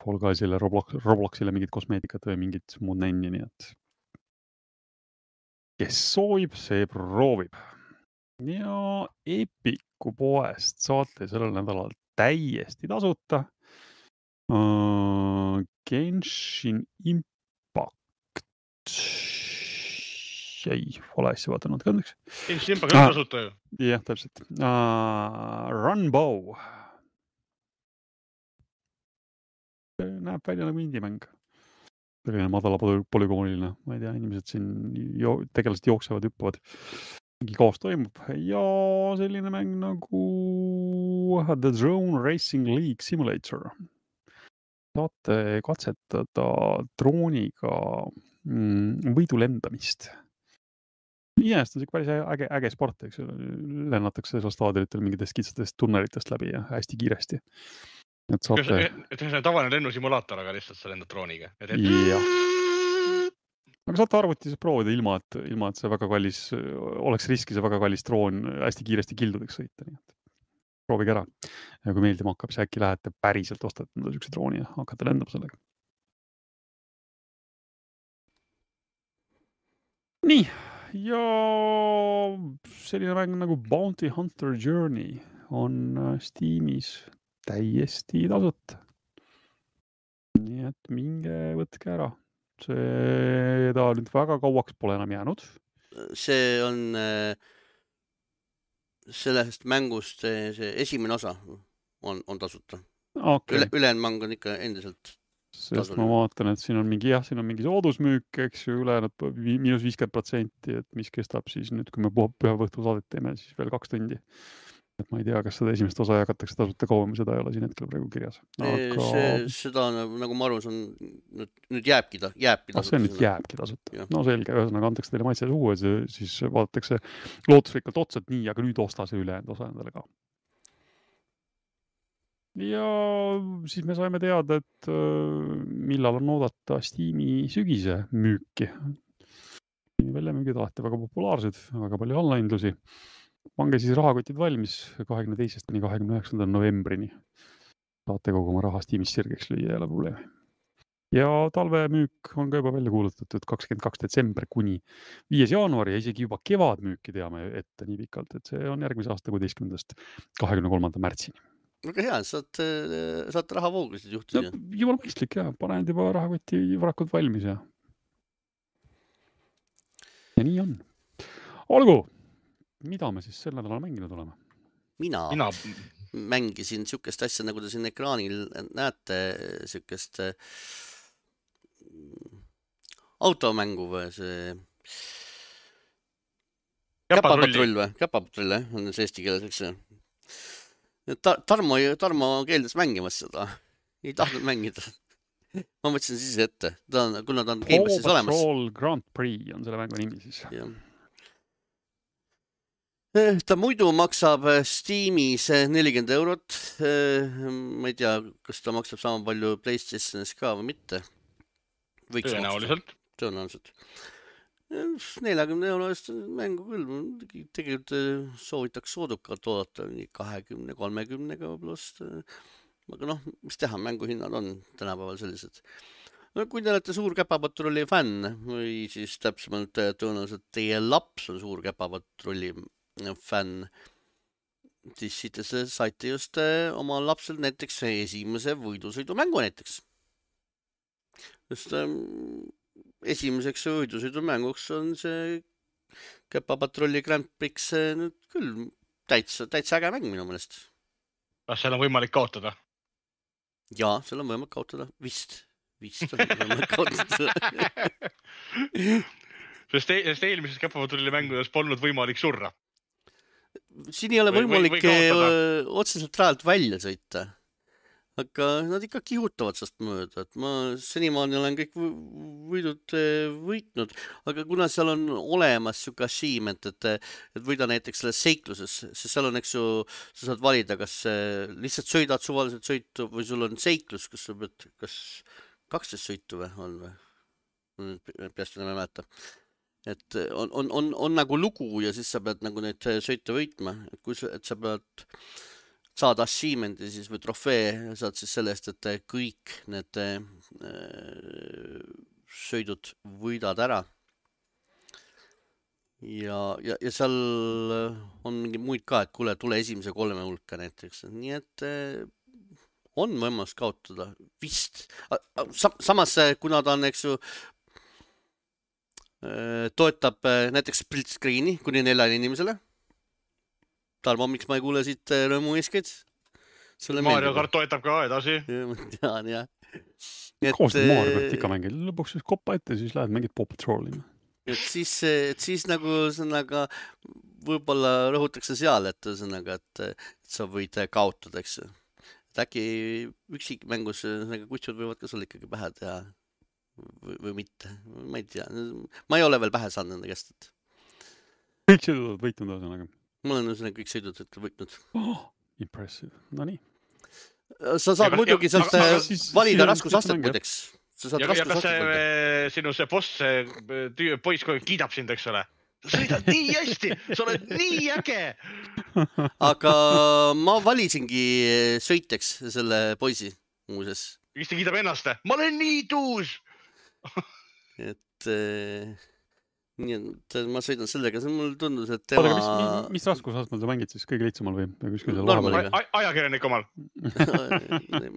B: Fall Guysile, Roblox, Robloxile mingid kosmeetikat või mingid muud nänni, nii et kes soovib, see proovib. Ja Epiku poest saate sellel nädalal täiesti tasuta uh, Genshin Impact. Ei, vale asja vaatanud kandeks.
C: Genshin Impact on tasuta ju.
B: Jah, täpselt. Uh, Runbow. Näeb välja nagu indie-mäng. Selline madala polügooniline. Ma ei tea, inimesed siin jo tegelased jooksevad, hüppavad. Mingi kaos toimub. Ja selline mäng nagu The Drone Racing League Simulator. Saate katsetada drooniga mm, võidu lendamist. Iseenesest on see päris äge, äge sport, eks lennatakse seal staadilitel mingitest kitsatest tunnelitest läbi ja hästi kiiresti. Et saate...
C: et see on tavaline lennusimulaator, aga lihtsalt sa lendad drooniga. Et...
B: jah. Aga saate arvutis proovida ilma, et, ilma, et see väga kallis, oleks riski see väga kallis droon hästi kiiresti kildudeks sõita. Nii et proovige ära. Ja kui meeldima hakkab, siis äkki lähete päriselt ostate niisuguse drooni ja hakkate lendama sellega. Nii. Ja selline mäng nagu Bounty Hunter Journey on Steamis täiesti tasuta. nii et minge võtke ära. Seda nüüd väga kauaks pole enam jäänud.
A: See on sellest mängust see, see esimene osa on, on tasuta.
B: Okay.
A: Üle, ülejäänud mäng on ikka endiselt
B: sest
A: tasuline.
B: ma vaatan, et siin on mingi, jah, siin on mingi soodusmüük, eks ju, ülejäänud miinus viiskümmend protsenti, et mis kestab siis nüüd, kui me pühavõhtu saadet teeme, siis veel kaks tundi. Et ma ei tea, kas seda esimest osa jagatakse tasuta kauem, seda ei ole siin hetkel praegu kirjas.
A: Aga... See, seda, nagu ma arvan, on, nüüd, nüüd jääbki, ta, jääbki
B: tasuta. Ah, see nüüd jääbki tasuta. Ja. No selge, ühesõnaga antakse teile maitse suhu, siis vaadatakse lootusrikkalt otsa, et nii, aga nüüd osta see ülejäänud osa endale ka. Ja siis me saime teada, et millal on oodata Steam'i sügise müüki. Väljamüügid alati väga populaarsed, väga palju allaindlusi. Pange siis rahakotid valmis kahekümne teisest kuni kahekümne üheksanda novembrini. Saate kogu oma raha Steam'is sirgeks lüüa, ei ole probleemi. Ja talvemüük on ka juba välja kuulutatud kakskümmend kaks detsember kuni viies jaanuari ja isegi juba kevadmüüki teame ette nii pikalt, et see on järgmise aasta kuueteistkümnendast kahekümne kolmanda märtsini.
A: Väga hea, saad, saad rahavoogusid juhtida.
B: Ja, jumal mõistlik, jah. Panenud juba rahakoti varakud valmis ja... ja nii on. Olgu, mida me siis sel nädalal mänginud oleme?
A: Mina, Mina mängisin sükest asja, nagu te siin ekraanil näete, sükest automängu või see käpapatrull või? Käpapatrull, jah, on see eesti keeles, eks see. Ta, Tarmo, Tarmo keeldis mängimast seda. Ei tahtnud mängida. Ma mõtlesin siis ette. Ta on, kuna ta on Gamepassis olemas.
B: Patrol Grand Prix on selle mängu nimi siis.
A: Ja. Ta muidu maksab Steamis nelikümmend eurot. Ma ei tea, kas ta maksab sama palju PlayStationis ka või mitte. Võiks
C: Tõenäoliselt.
A: Tõenäoliselt. neljakümne euro eest mängu küll, tegelikult soovitaks soodukat oodata nii kahekümne kolmekümnega pluss, aga noh, mis teha, mänguhinnad on tänapäeval sellised. No, kui te olete suur käpapatrulli fänn või siis täpsemalt tõenäoliselt teie laps on suur käpapatrulli fänn, siis siit te saite just oma lapsel näiteks esimese võidusõidu mängu näiteks. Just esimeseks võidusõidumänguks on see Käpapatrolli Grand Prix nüüd küll täitsa, täitsa äge mäng minu mõnest.
C: Kas seal on võimalik kaotada?
A: Jaa, seal on võimalik kaotada. Vist. Vist on võimalik kaotada.
C: Sest, e sest eelmises Käpapatrolli mängudes polnud võimalik surra.
A: Siin ei ole
C: või,
A: võimalik
C: või, või
A: otseselt rajalt välja sõita. Aga nad ikka kihutavad sest mööda, et ma senimaani olen kõik võidud võitnud, aga kuna seal on olemas siuke achievement, et, et võida näiteks selles seikluses, siis seal on, eks ju, sa saad valida, kas lihtsalt sõidad suvaliselt sõitu või sul on seiklus, kus sa pead, kas kaksteist sõitu või on või? Peast enam ei mäleta. Et on, on, on, on nagu lugu ja siis sa pead nagu neid sõite võitma, et kui sa, et sa pead saad achievement'i siis või trofee, saad siis sellest, et kõik need äh, sõidud võidad ära. Ja, ja, ja seal on mingi muid ka, et kuule, tule esimese kolme hulka näiteks. Nii et äh, on võimalus kaotada vist. Sa, samas, kuna ta on, eks ju, äh, toetab äh, näiteks split screen'i kuni neljale inimesele. Tarmo, miks ma ei kuule siit rõõmu eeskeid?
C: Mario Kart toetab ka edasi.
A: Ma tean, jah.
B: Koos teed Mario Kart ikka mängid. Lõpuks siis koppa ette, siis lähed mängid Paw Patrolli.
A: Et siis, et siis nagu sõnaga võib-olla rõhutakse seal, et, sõnaga, et, et sa võid kaotada, eks. Et äkki üksik mängus nagu kutsud võivad ka sul ikkagi pähe teha või, või mitte. Ma ei tea. Ma ei ole veel pähe saanud nende käest. Et...
B: Kõik sõidud võitnud ühesõnaga.
A: Ma olen ühesõnaga kõik sõidud võitnud.
B: Oh, impressive. No nii.
A: Sa saad ja, muidugi ja, sealt aga, siis, valida raskusastet muideks.
C: Ja, ja kas see, sinu see boss, see poiss kogu kiidab sind, eks ole? Sa sõidad nii hästi, sa oled nii äge!
A: Aga ma valisingi sõiteks selle poisi muuses.
C: Mis ta kiidab ennast? Ma olen nii tuus!
A: Et... nii et ma sõidan sellega, see mul tundus, et
B: Oota,
A: tema...
B: aga mis, mis raskusastmel sa mängid siis kõige lihtsamal või? Kuskil seal
A: Normaliga.
B: vahepeal?
C: Ajakirjanik omal.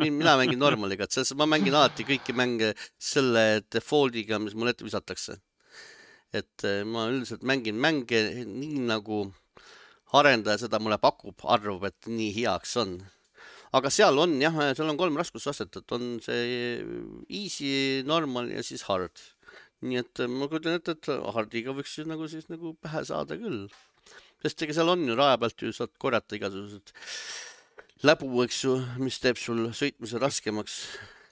A: Mina mängin normaliga, et ma mängin alati kõiki mänge selle defaultiga, mis mul ette visatakse. Et ma üldiselt mängin mänge nii nagu arendaja seda mulle pakub, arvab, et nii heaks on. Aga seal on jah, seal on kolm raskusastet, et on see easy, normal ja siis hard. Nii et ma kujutan ette, et hardiga võiks nagu siis nagu pähe saada küll. Sest ega seal on ju raja pealt ju saad korjata igasugused läbu, eks ju, mis teeb sul sõitmise raskemaks.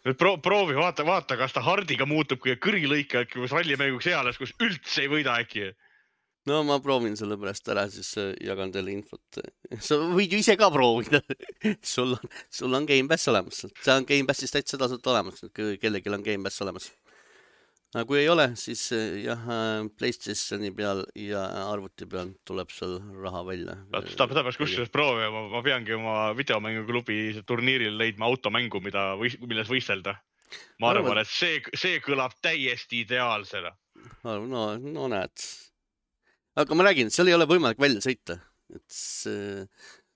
C: Nüüd pro proovi, vaata, vaata, kas ta hardiga muutub kui kõrilõika, äkki kus rallimänguks eales, kus üldse ei võida äkki.
A: No ma proovin selle pärast ära, siis jagan teile infot. Sa võid ju ise ka proovida. sul, on, sul on Game Pass olemas. See on Game Passis täitsa tasuta olemas, kellelgi on Game Pass olemas. Aga kui ei ole, siis jah, PlayStationi peal ja arvuti peal tuleb seal raha välja.
C: Ta peaks kusjuures proovi, ma, ma peangi oma videomänguklubi turniiril leidma automängu, mida, milles võistelda. Ma arvan, et see, see kõlab täiesti ideaalsena.
A: No, no näed. Aga ma räägin, seal ei ole võimalik välja sõita. Et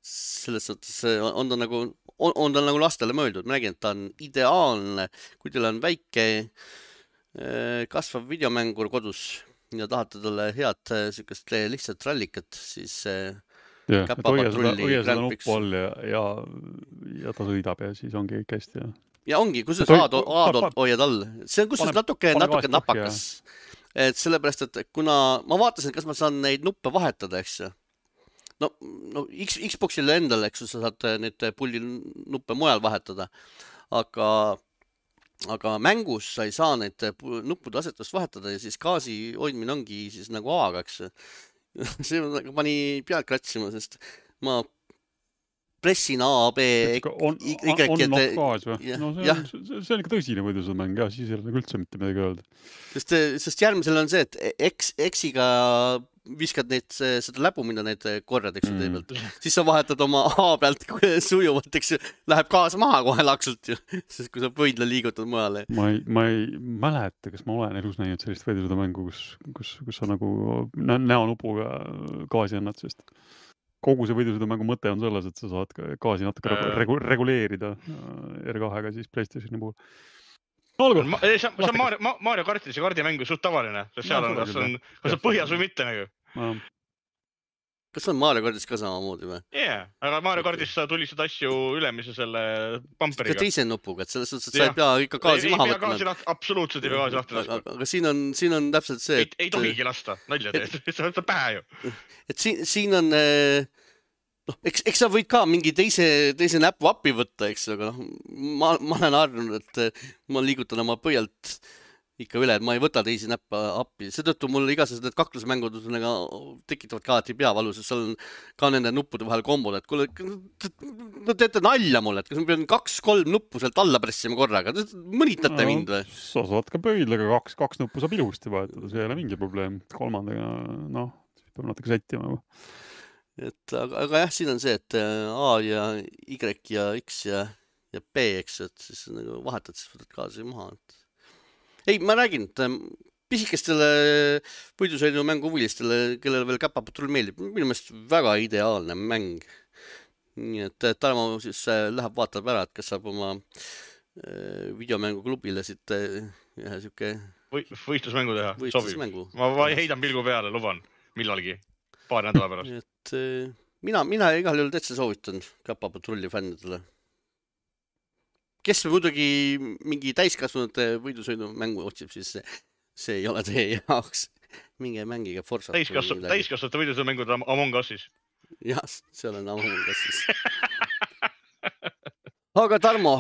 A: selles suhtes on ta nagu, on, on ta nagu lastele mõeldud. Ma räägin, et ta on ideaalne, kui teil on väike kasvav videomängur kodus ja tahate talle head sükest lihtsalt rallikat, siis
B: ja, hoia seda, hoia seda nuppu all ja, ja, ja ta sõidab ja siis ongi kõik hästi. Ja,
A: ja ongi, kus sa A-dolt hoiad all. See on kus natuke, natuke napakas. Et sellepärast, et kuna ma vaatasin, kas ma saan neid nuppe vahetada, eks ju. No, no X, Xboxile endale, eks ju, sa saad neid pulli nuppe mujal vahetada. Aga Aga mängus sa ei saa neid nuppude asetust vahetada ja siis gaasi hoidmine ongi siis nagu A-ga, eks. See pani pealt kratsima, sest ma pressin A, B,
B: on,
A: Y,
B: on, on off gaas või? No see on, see on ikka tõsine võidusõda mäng, jah, siis ei ole üldse mitte midagi öelda.
A: Sest, sest järgmisel on see, et X, X-iga viskad neid, seda läbu, mida neid korjad, eks ju, tee pealt. Siis sa vahetad oma A pealt sujuvalt, eks ju, läheb gaas maha kohe laksult ju, sest kui sa võidle liigutad mujale.
B: Ma ei, ma ei mäleta, kas ma olen elus näinud sellist võidusõda mängu, kus, kus, kus sa nagu näonupuga gaasi annad, sest kogu see võidusõda mängu mõte on selles, et sa saad gaasi natuke äh. regu reguleerida R kahega siis PlayStationi puhul. No,
C: ma, see on Mario, Mario kartis ja kardimängu suht tavaline, sest seal on, kas on, kas on põhjas või mitte nagu.
B: No.
A: Kas on Mario kardis ka samamoodi või?
C: Jaa, yeah, aga Mario kardis sa tulistad asju ülemise selle pumperiga.
A: Ka teise nupuga, et selles suhtes, et sa ei pea ikka gaasi maha võtma.
C: Ei pea gaasi, absoluutselt ei pea gaasi lahti laskma.
A: Aga siin on, siin on täpselt see,
C: et... Ei, ei tohigi lasta, nalja teed, see on pähe ju.
A: Et siin, siin on... No, eks, eks sa võid ka mingi teise, teise näpu appi võtta, eks, aga noh, ma, ma olen arvanud, et ma liigutan oma põhjalt ikka üle, et ma ei võta teisi näppe appi. Seetõttu mul igasugused need kaklusmängud tekitavad ka alati peavalu, sest seal on ka nende nuppude vahel kombod, et kuule, no teete nalja mulle, et kas ma pean kaks-kolm nuppu sealt alla pressima korraga, mõnitate no, mind või?
B: Sa saad ka pöidlega kaks, kaks nuppu saab ilusti vahetada, see ei ole mingi probleem. Kolmandaga, noh, peab natuke sättima.
A: Et, aga, aga jah, siin on see, et A ja Y ja X ja, ja B, eks, et siis nagu vahetad, siis võtad gaasi maha. Et... Ei, ma räägin, et pisikestele võidusõidu mängu huvilistele, kellele veel Käpapatrull meeldib, minu meelest väga ideaalne mäng. Nii et Tarmo siis läheb vaatab ära, et kas saab oma videomängu klubile siit ühe siuke...
C: Võistlusmängu teha,
A: võistlusmängu.
C: Sobib. Ma, ma heidan pilgu peale, luban, millalgi. Paari nädala pärast.
A: Et, mina, mina igal juhul täitsa soovitan Käpapatrulli fännidele. Kes muidugi mingi täiskasvanud võidusõidu mängu otsib, siis see, see ei ole teie jaoks. Minge mängige Forsat.
C: Täiskasvanud võidusõidu mängud Among Usis.
A: Jah, seal on Among Usis. Aga Tarmo,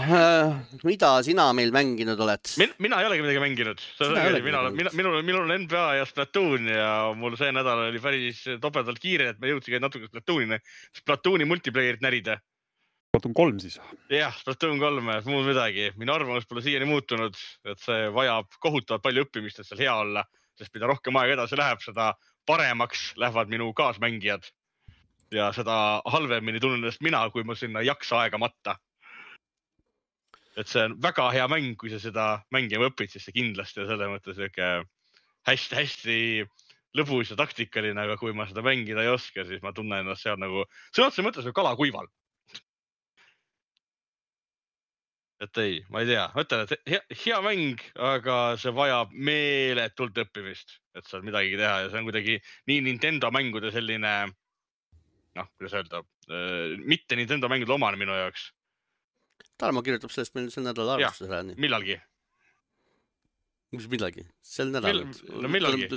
A: mida sina meil mänginud oled?
C: Min, mina ei olegi midagi mänginud. Mina, mina, minul, minul on N B A ja Splatoon ja mul see nädal oli päris topedalt kiire, et me jõudsiga natuke Splatoonini. Splatooni multiplayerit närida.
B: Splatoon kolm siis?
C: Jah, Splatoon kolm, muud midagi. Minu arvamus pole siiani muutunud, et see vajab kohutavalt palju õppimist, et seal hea olla, sest mida rohkem aega edasi läheb, seda paremaks lähevad minu kaasmängijad. Ja seda halvemini tunnen ennast mina, kui ma sinna jaksa aega matta. Et see on väga hea mäng, kui sa seda mängima õpid, siis see kindlasti on selle mõttes hästi, hästi lõbus ja taktikaline, aga kui ma seda mängida ei oska, siis ma tunnen ennast seal nagu, sõna otseses mõttes kala kuival. Et ei, ma ei tea, mõtlen, et hea, hea mäng, aga see vajab meeletult õppimist, et saad midagi teha ja see on kuidagi nii Nintendo mängude selline, noh, kuidas öelda, mitte Nintendo mängude omane minu jaoks.
A: Tarmo kirjutab sellest meil sel nädal arvustusel ära.
C: Millalgi.
A: Mis millalgi? Sel nädal.
C: Mil, no millalgi.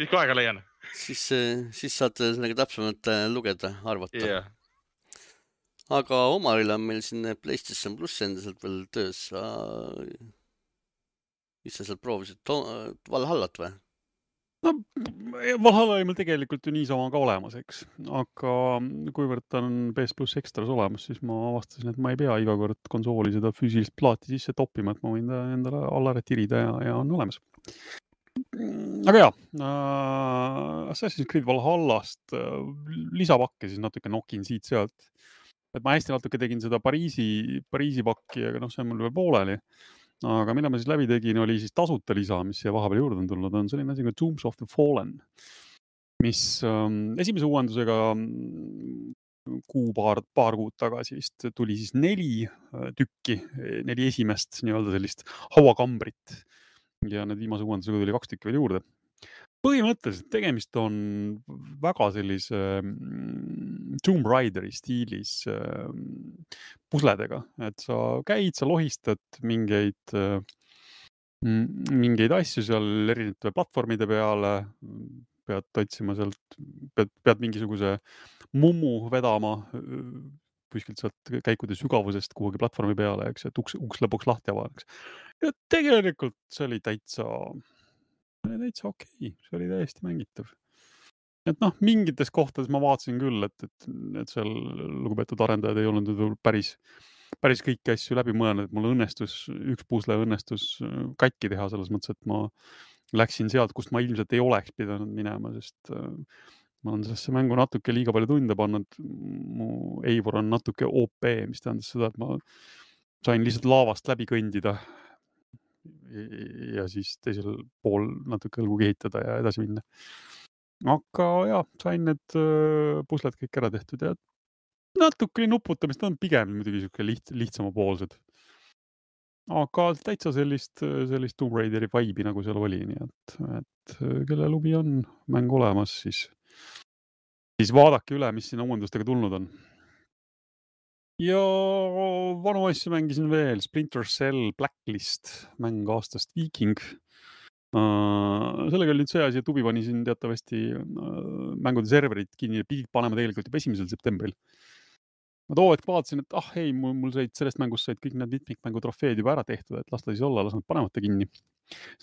C: Mis kui aega leian?
A: Siis, siis saad sellega täpsemalt lugeda, arvata.
C: Yeah.
A: Aga Omaril on meil siin PlayStation Plus endiselt veel töös. Mis sa sealt proovisid? Valhallat või?
B: No, Valhalla oli meil tegelikult ju niisama ka olemas, eks. Aga kuivõrd ta on P S Plus Extras olemas, siis ma avastasin, et ma ei pea iga kord konsooli seda füüsilist plaati sisse toppima, et ma võin ta endale alla retirida ja, ja on olemas. Aga jaa, äh, Assassin's Creed Valhallast äh, lisapakke siis natuke nokin siit sealt. Et ma hästi natuke tegin seda Pariisi, Pariisi pakki, aga noh, see on mul veel pooleli. Aga mida ma siis läbi tegin, oli siis tasuta lisa, mis siia vahepeal juurde on tulnud, on selline asi kui Tombs of the Fallen, mis ähm, esimese uuendusega kuu paar, paar kuud tagasi vist tuli siis neli tükki, neli esimest nii-öelda sellist hauakambrit ja need viimase uuendusega tuli kaks tükki veel juurde. Põhimõtteliselt tegemist on väga sellise Tomb Raideri stiilis pusledega, et sa käid, sa lohistad mingeid, mingeid asju seal erinevate platvormide peale, pead otsima sealt, pead, pead mingisuguse mummu vedama kuskilt sealt käikude sügavusest kuhugi platvormi peale, eks, et uks, uks lõpuks lahti avaneks. Ja tegelikult see oli täitsa... täitsa okei, see oli täiesti mängitav. Et noh, mingites kohtades ma vaatasin küll, et, et, et seal lugupeetud arendajad ei olnud päris, päris kõiki asju läbi mõelnud, et mul õnnestus, üks pusle õnnestus katki teha selles mõttes, et ma läksin sealt, kust ma ilmselt ei oleks pidanud minema, sest ma olen sellesse mängu natuke liiga palju tunde pannud. Mu Eivor on natuke O P, mis tähendas seda, et ma sain lihtsalt laavast läbi kõndida ja siis teisel pool natuke õlgu kehitada ja edasi minna. Aga jah, sain need pusled kõik ära tehtud ja natuke nuputamist on pigem muidugi liht, lihtsama poolsed. Aga täitsa sellist, sellist Tomb Raideri vibe'i nagu seal oli, nii et, et kelle lubi on mäng olemas, siis, siis vaadake üle, mis sinna uuendustega tulnud on. Ja vanu asju mängisin veel, Splinter Cell, Blacklist, mäng aastast Viking. Uh, sellega oli nüüd see asi, et Ubi pani siin teatavasti uh, mängude serverid kinni ja pidid panema tegelikult juba esimesel septembril. Ma too hetk vaatasin, et ah ei, mul, mul said sellest mängust said kõik need mitmikmängu trofeed juba ära tehtud, et las ta siis olla, las nad panemata kinni.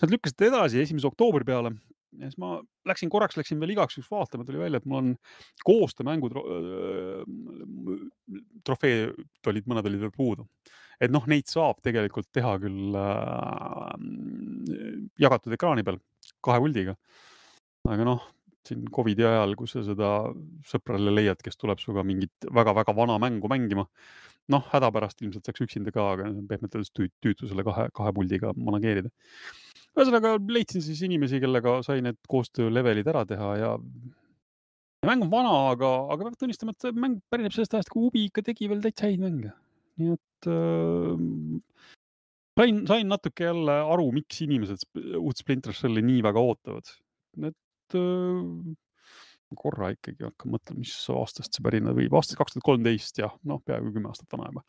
B: Nad lükkasid edasi esimese oktoobri peale. Ja siis ma läksin korraks, läksin veel igaks üks vaatama, tuli välja, et mul on koostöömängu trofeed olid, mõned olid veel puudu. Et noh, neid saab tegelikult teha küll äh, jagatud ekraani peal kahe puldiga. Aga noh, siin Covidi ajal, kus sa seda sõprale leiad, kes tuleb suga mingit väga-väga vana mängu mängima. Noh, hädapärast ilmselt saaks üksinda ka, aga pehmelt öeldes tüütu selle kahe, kahe puldiga manageerida. Ühesõnaga leidsin siis inimesi, kellega sai need koostöö levelid ära teha ja, ja mäng on vana, aga, aga peab tunnistama, et mäng pärineb sellest ajast, kui Ubi ikka tegi veel täitsa häid mänge. Nii et äh, sain, sain natuke jälle aru, miks inimesed uut Splinter Celli nii väga ootavad. Et äh, korra ikkagi hakka mõtlema, mis aastast see pärina võib. Aastast kaks tuhat kolmteist, jah, noh, peaaegu kümme aastat vana juba.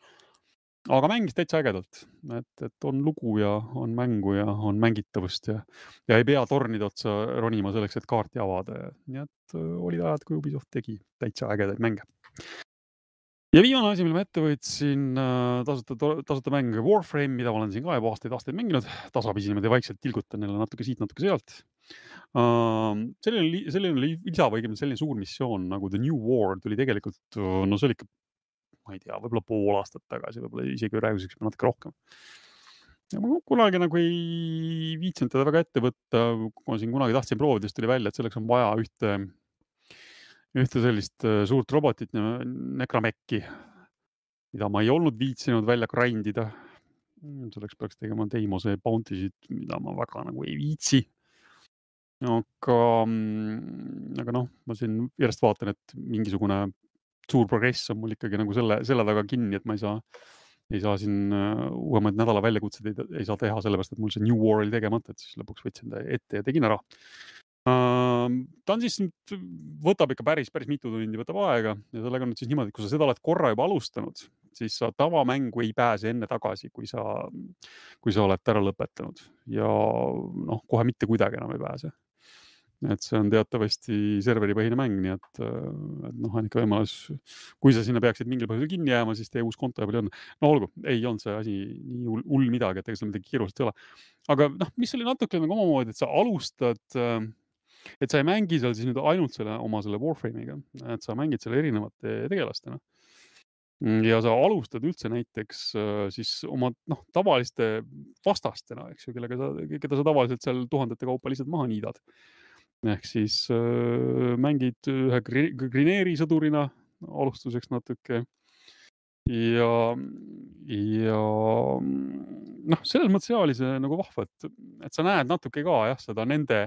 B: Aga mängis täitsa ägedalt, et, et on lugu ja on mängu ja on mängitavust ja, ja ei pea tornide otsa ronima selleks, et kaarti avada. Nii et olid ajad, kui Ubisoft tegi täitsa ägedaid mänge. Ja viimane asi, mille ma ette võtsin tasuta, tasuta mäng Warframe, mida ma olen siin ka juba aastaid aastaid mänginud. Tasapisi niimoodi vaikselt tilgutan neile natuke siit, natuke sealt. Uh, selline, selline lisa või selline suur missioon nagu The New War tuli tegelikult, no see oli ikka ma ei tea, võib-olla pool aastat tagasi, võib-olla isegi rääguseks natuke rohkem. Ja ma kunagi nagu ei viitsinud teda väga ette võtta, kui ma siin kunagi tahtsin proovida, siis tuli välja, et selleks on vaja ühte, ühte sellist suurt robotit, Necramekki, mida ma ei olnud viitsinud välja grindida. Selleks peaks tegema Deimose bountysid, mida ma väga nagu ei viitsi. aga, aga noh, ma siin järjest vaatan, et mingisugune suur progress on mul ikkagi nagu selle, selle taga kinni, et ma ei saa, ei saa siin uuemaid nädala väljakutseid ei, ei saa teha sellepärast, et mul see New War oli tegemata, et siis lõpuks võtsin ta ette ja tegin ära. Ta on siis, võtab ikka päris, päris mitu tundi, võtab aega ja sellega on nüüd siis niimoodi, et kui sa seda oled korra juba alustanud, siis sa tavamängu ei pääse enne tagasi, kui sa, kui sa oled ära lõpetanud ja noh, kohe mitte kuidagi enam ei pääse. Et see on teatavasti serveripõhine mäng, nii et, et noh, on ikka võimalus, kui sa sinna peaksid mingil põhjusel kinni jääma, siis teie uus konto ja palju on. No olgu, ei olnud see asi nii hull, hull midagi, et ega seal midagi kiirust ei ole. Aga noh, mis oli natuke nagu omamoodi, et sa alustad, et sa ei mängi seal siis nüüd ainult selle oma selle Warframe'iga, et sa mängid selle erinevate tegelastena. Ja sa alustad üldse näiteks siis oma noh, tavaliste vastastena, eks ju, kellega sa, keda sa tavaliselt seal tuhandete kaupa lihtsalt maha niidad. Ehk siis äh, mängid ühe Grineeri sõdurina alustuseks natuke ja, ja noh, selles mõttes oli see nagu vahva, et, et sa näed natuke ka jah, seda nende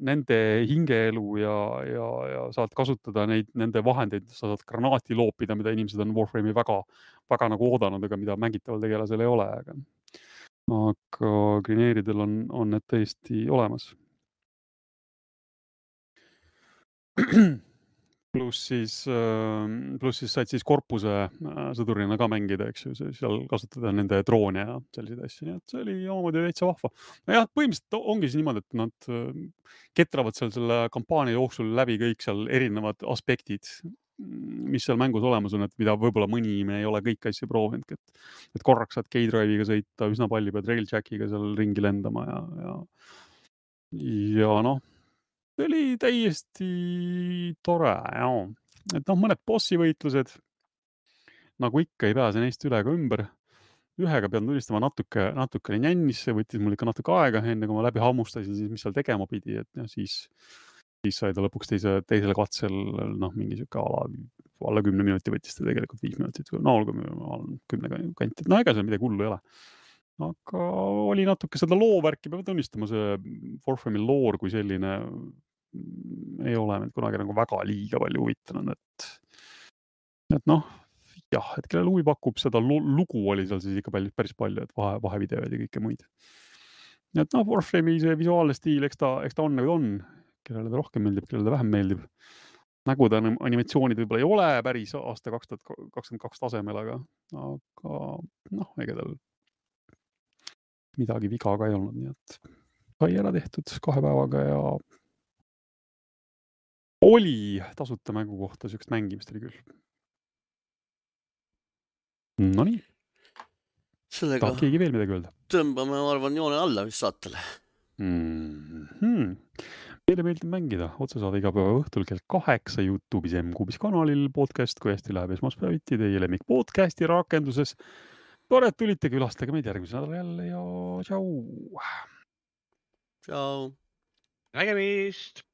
B: nende hingeelu ja, ja, ja saad kasutada neid, nende vahendeid, sa saad granaati loopida, mida inimesed on Warframe'i väga, väga nagu oodanud, aga mida mängitaval tegelasel ei ole. Aga, aga Grineeridel on, on need tõesti olemas. Pluss siis, pluss siis said siis korpuse sõdurina ka mängida, eks ju, seal kasutada nende droone ja selliseid asju, nii et see oli omamoodi täitsa vahva. No jah, põhimõtteliselt ongi siis niimoodi, et nad ketravad seal selle kampaania jooksul läbi kõik seal erinevad aspektid, mis seal mängus olemas on, et mida võib-olla mõni me ei ole kõik asju proovinud, et, et korraks saad K-Drive'iga sõita, üsna palju pead Railjackiga seal ringi lendama ja, ja, ja noh, see oli täiesti tore, jah. Et noh, mõned bossi võitlused, nagu ikka ei pääse neist üle ega ümber. Ühega pean tunnistama natuke, natuke nännis, see võttis mul ikka natuke aega, enne kui ma läbi hammustasin, siis mis seal tegema pidi, et ja siis, siis sai ta lõpuks teise, teisele katsel noh, mingi siuke ala, alla kümne minuti võttis ta tegelikult viis minutit, no olgu kümne kanti, no ega seal midagi hullu ei ole. Aga oli natuke seda loovärki, peab tunnistama, see Warframe'i loor kui selline ei ole mind kunagi nagu väga liiga palju huvitanud, et, et noh, jah, et kellel huvi pakub, seda lugu oli seal siis ikka päris, päris palju, et vahe, vahevideoid ja kõike muid. Et noh, Warframe'i see visuaalne stiil, eks ta, eks ta on nagu on, kellele ta rohkem meeldib, kellele ta vähem meeldib. Nägude animatsioonid võib-olla ei ole päris aasta kaks tuhat kakskümmend kaks tasemel, aga, aga noh, ega tal midagi viga ka ei olnud, nii et sai ära tehtud kahe päevaga ja oli tasuta mängu kohta sellist mängimist oli küll. No nii.
A: Sellega
B: tahad keegi veel midagi öelda?
A: Tõmbame, ma arvan, joone alla vist saatele.
B: Mm-hmm. Meile meeldib mängida otsesaade iga päeva õhtul kell kaheksa YouTube'is M-Kuubis kanalil podcast, kui hästi läheb esmaspäeviti teie lemmik podcasti rakenduses. Tore, et tulite, külastage meid järgmise nädala jälle ja tšau.
A: Tšau.
C: Nägemist.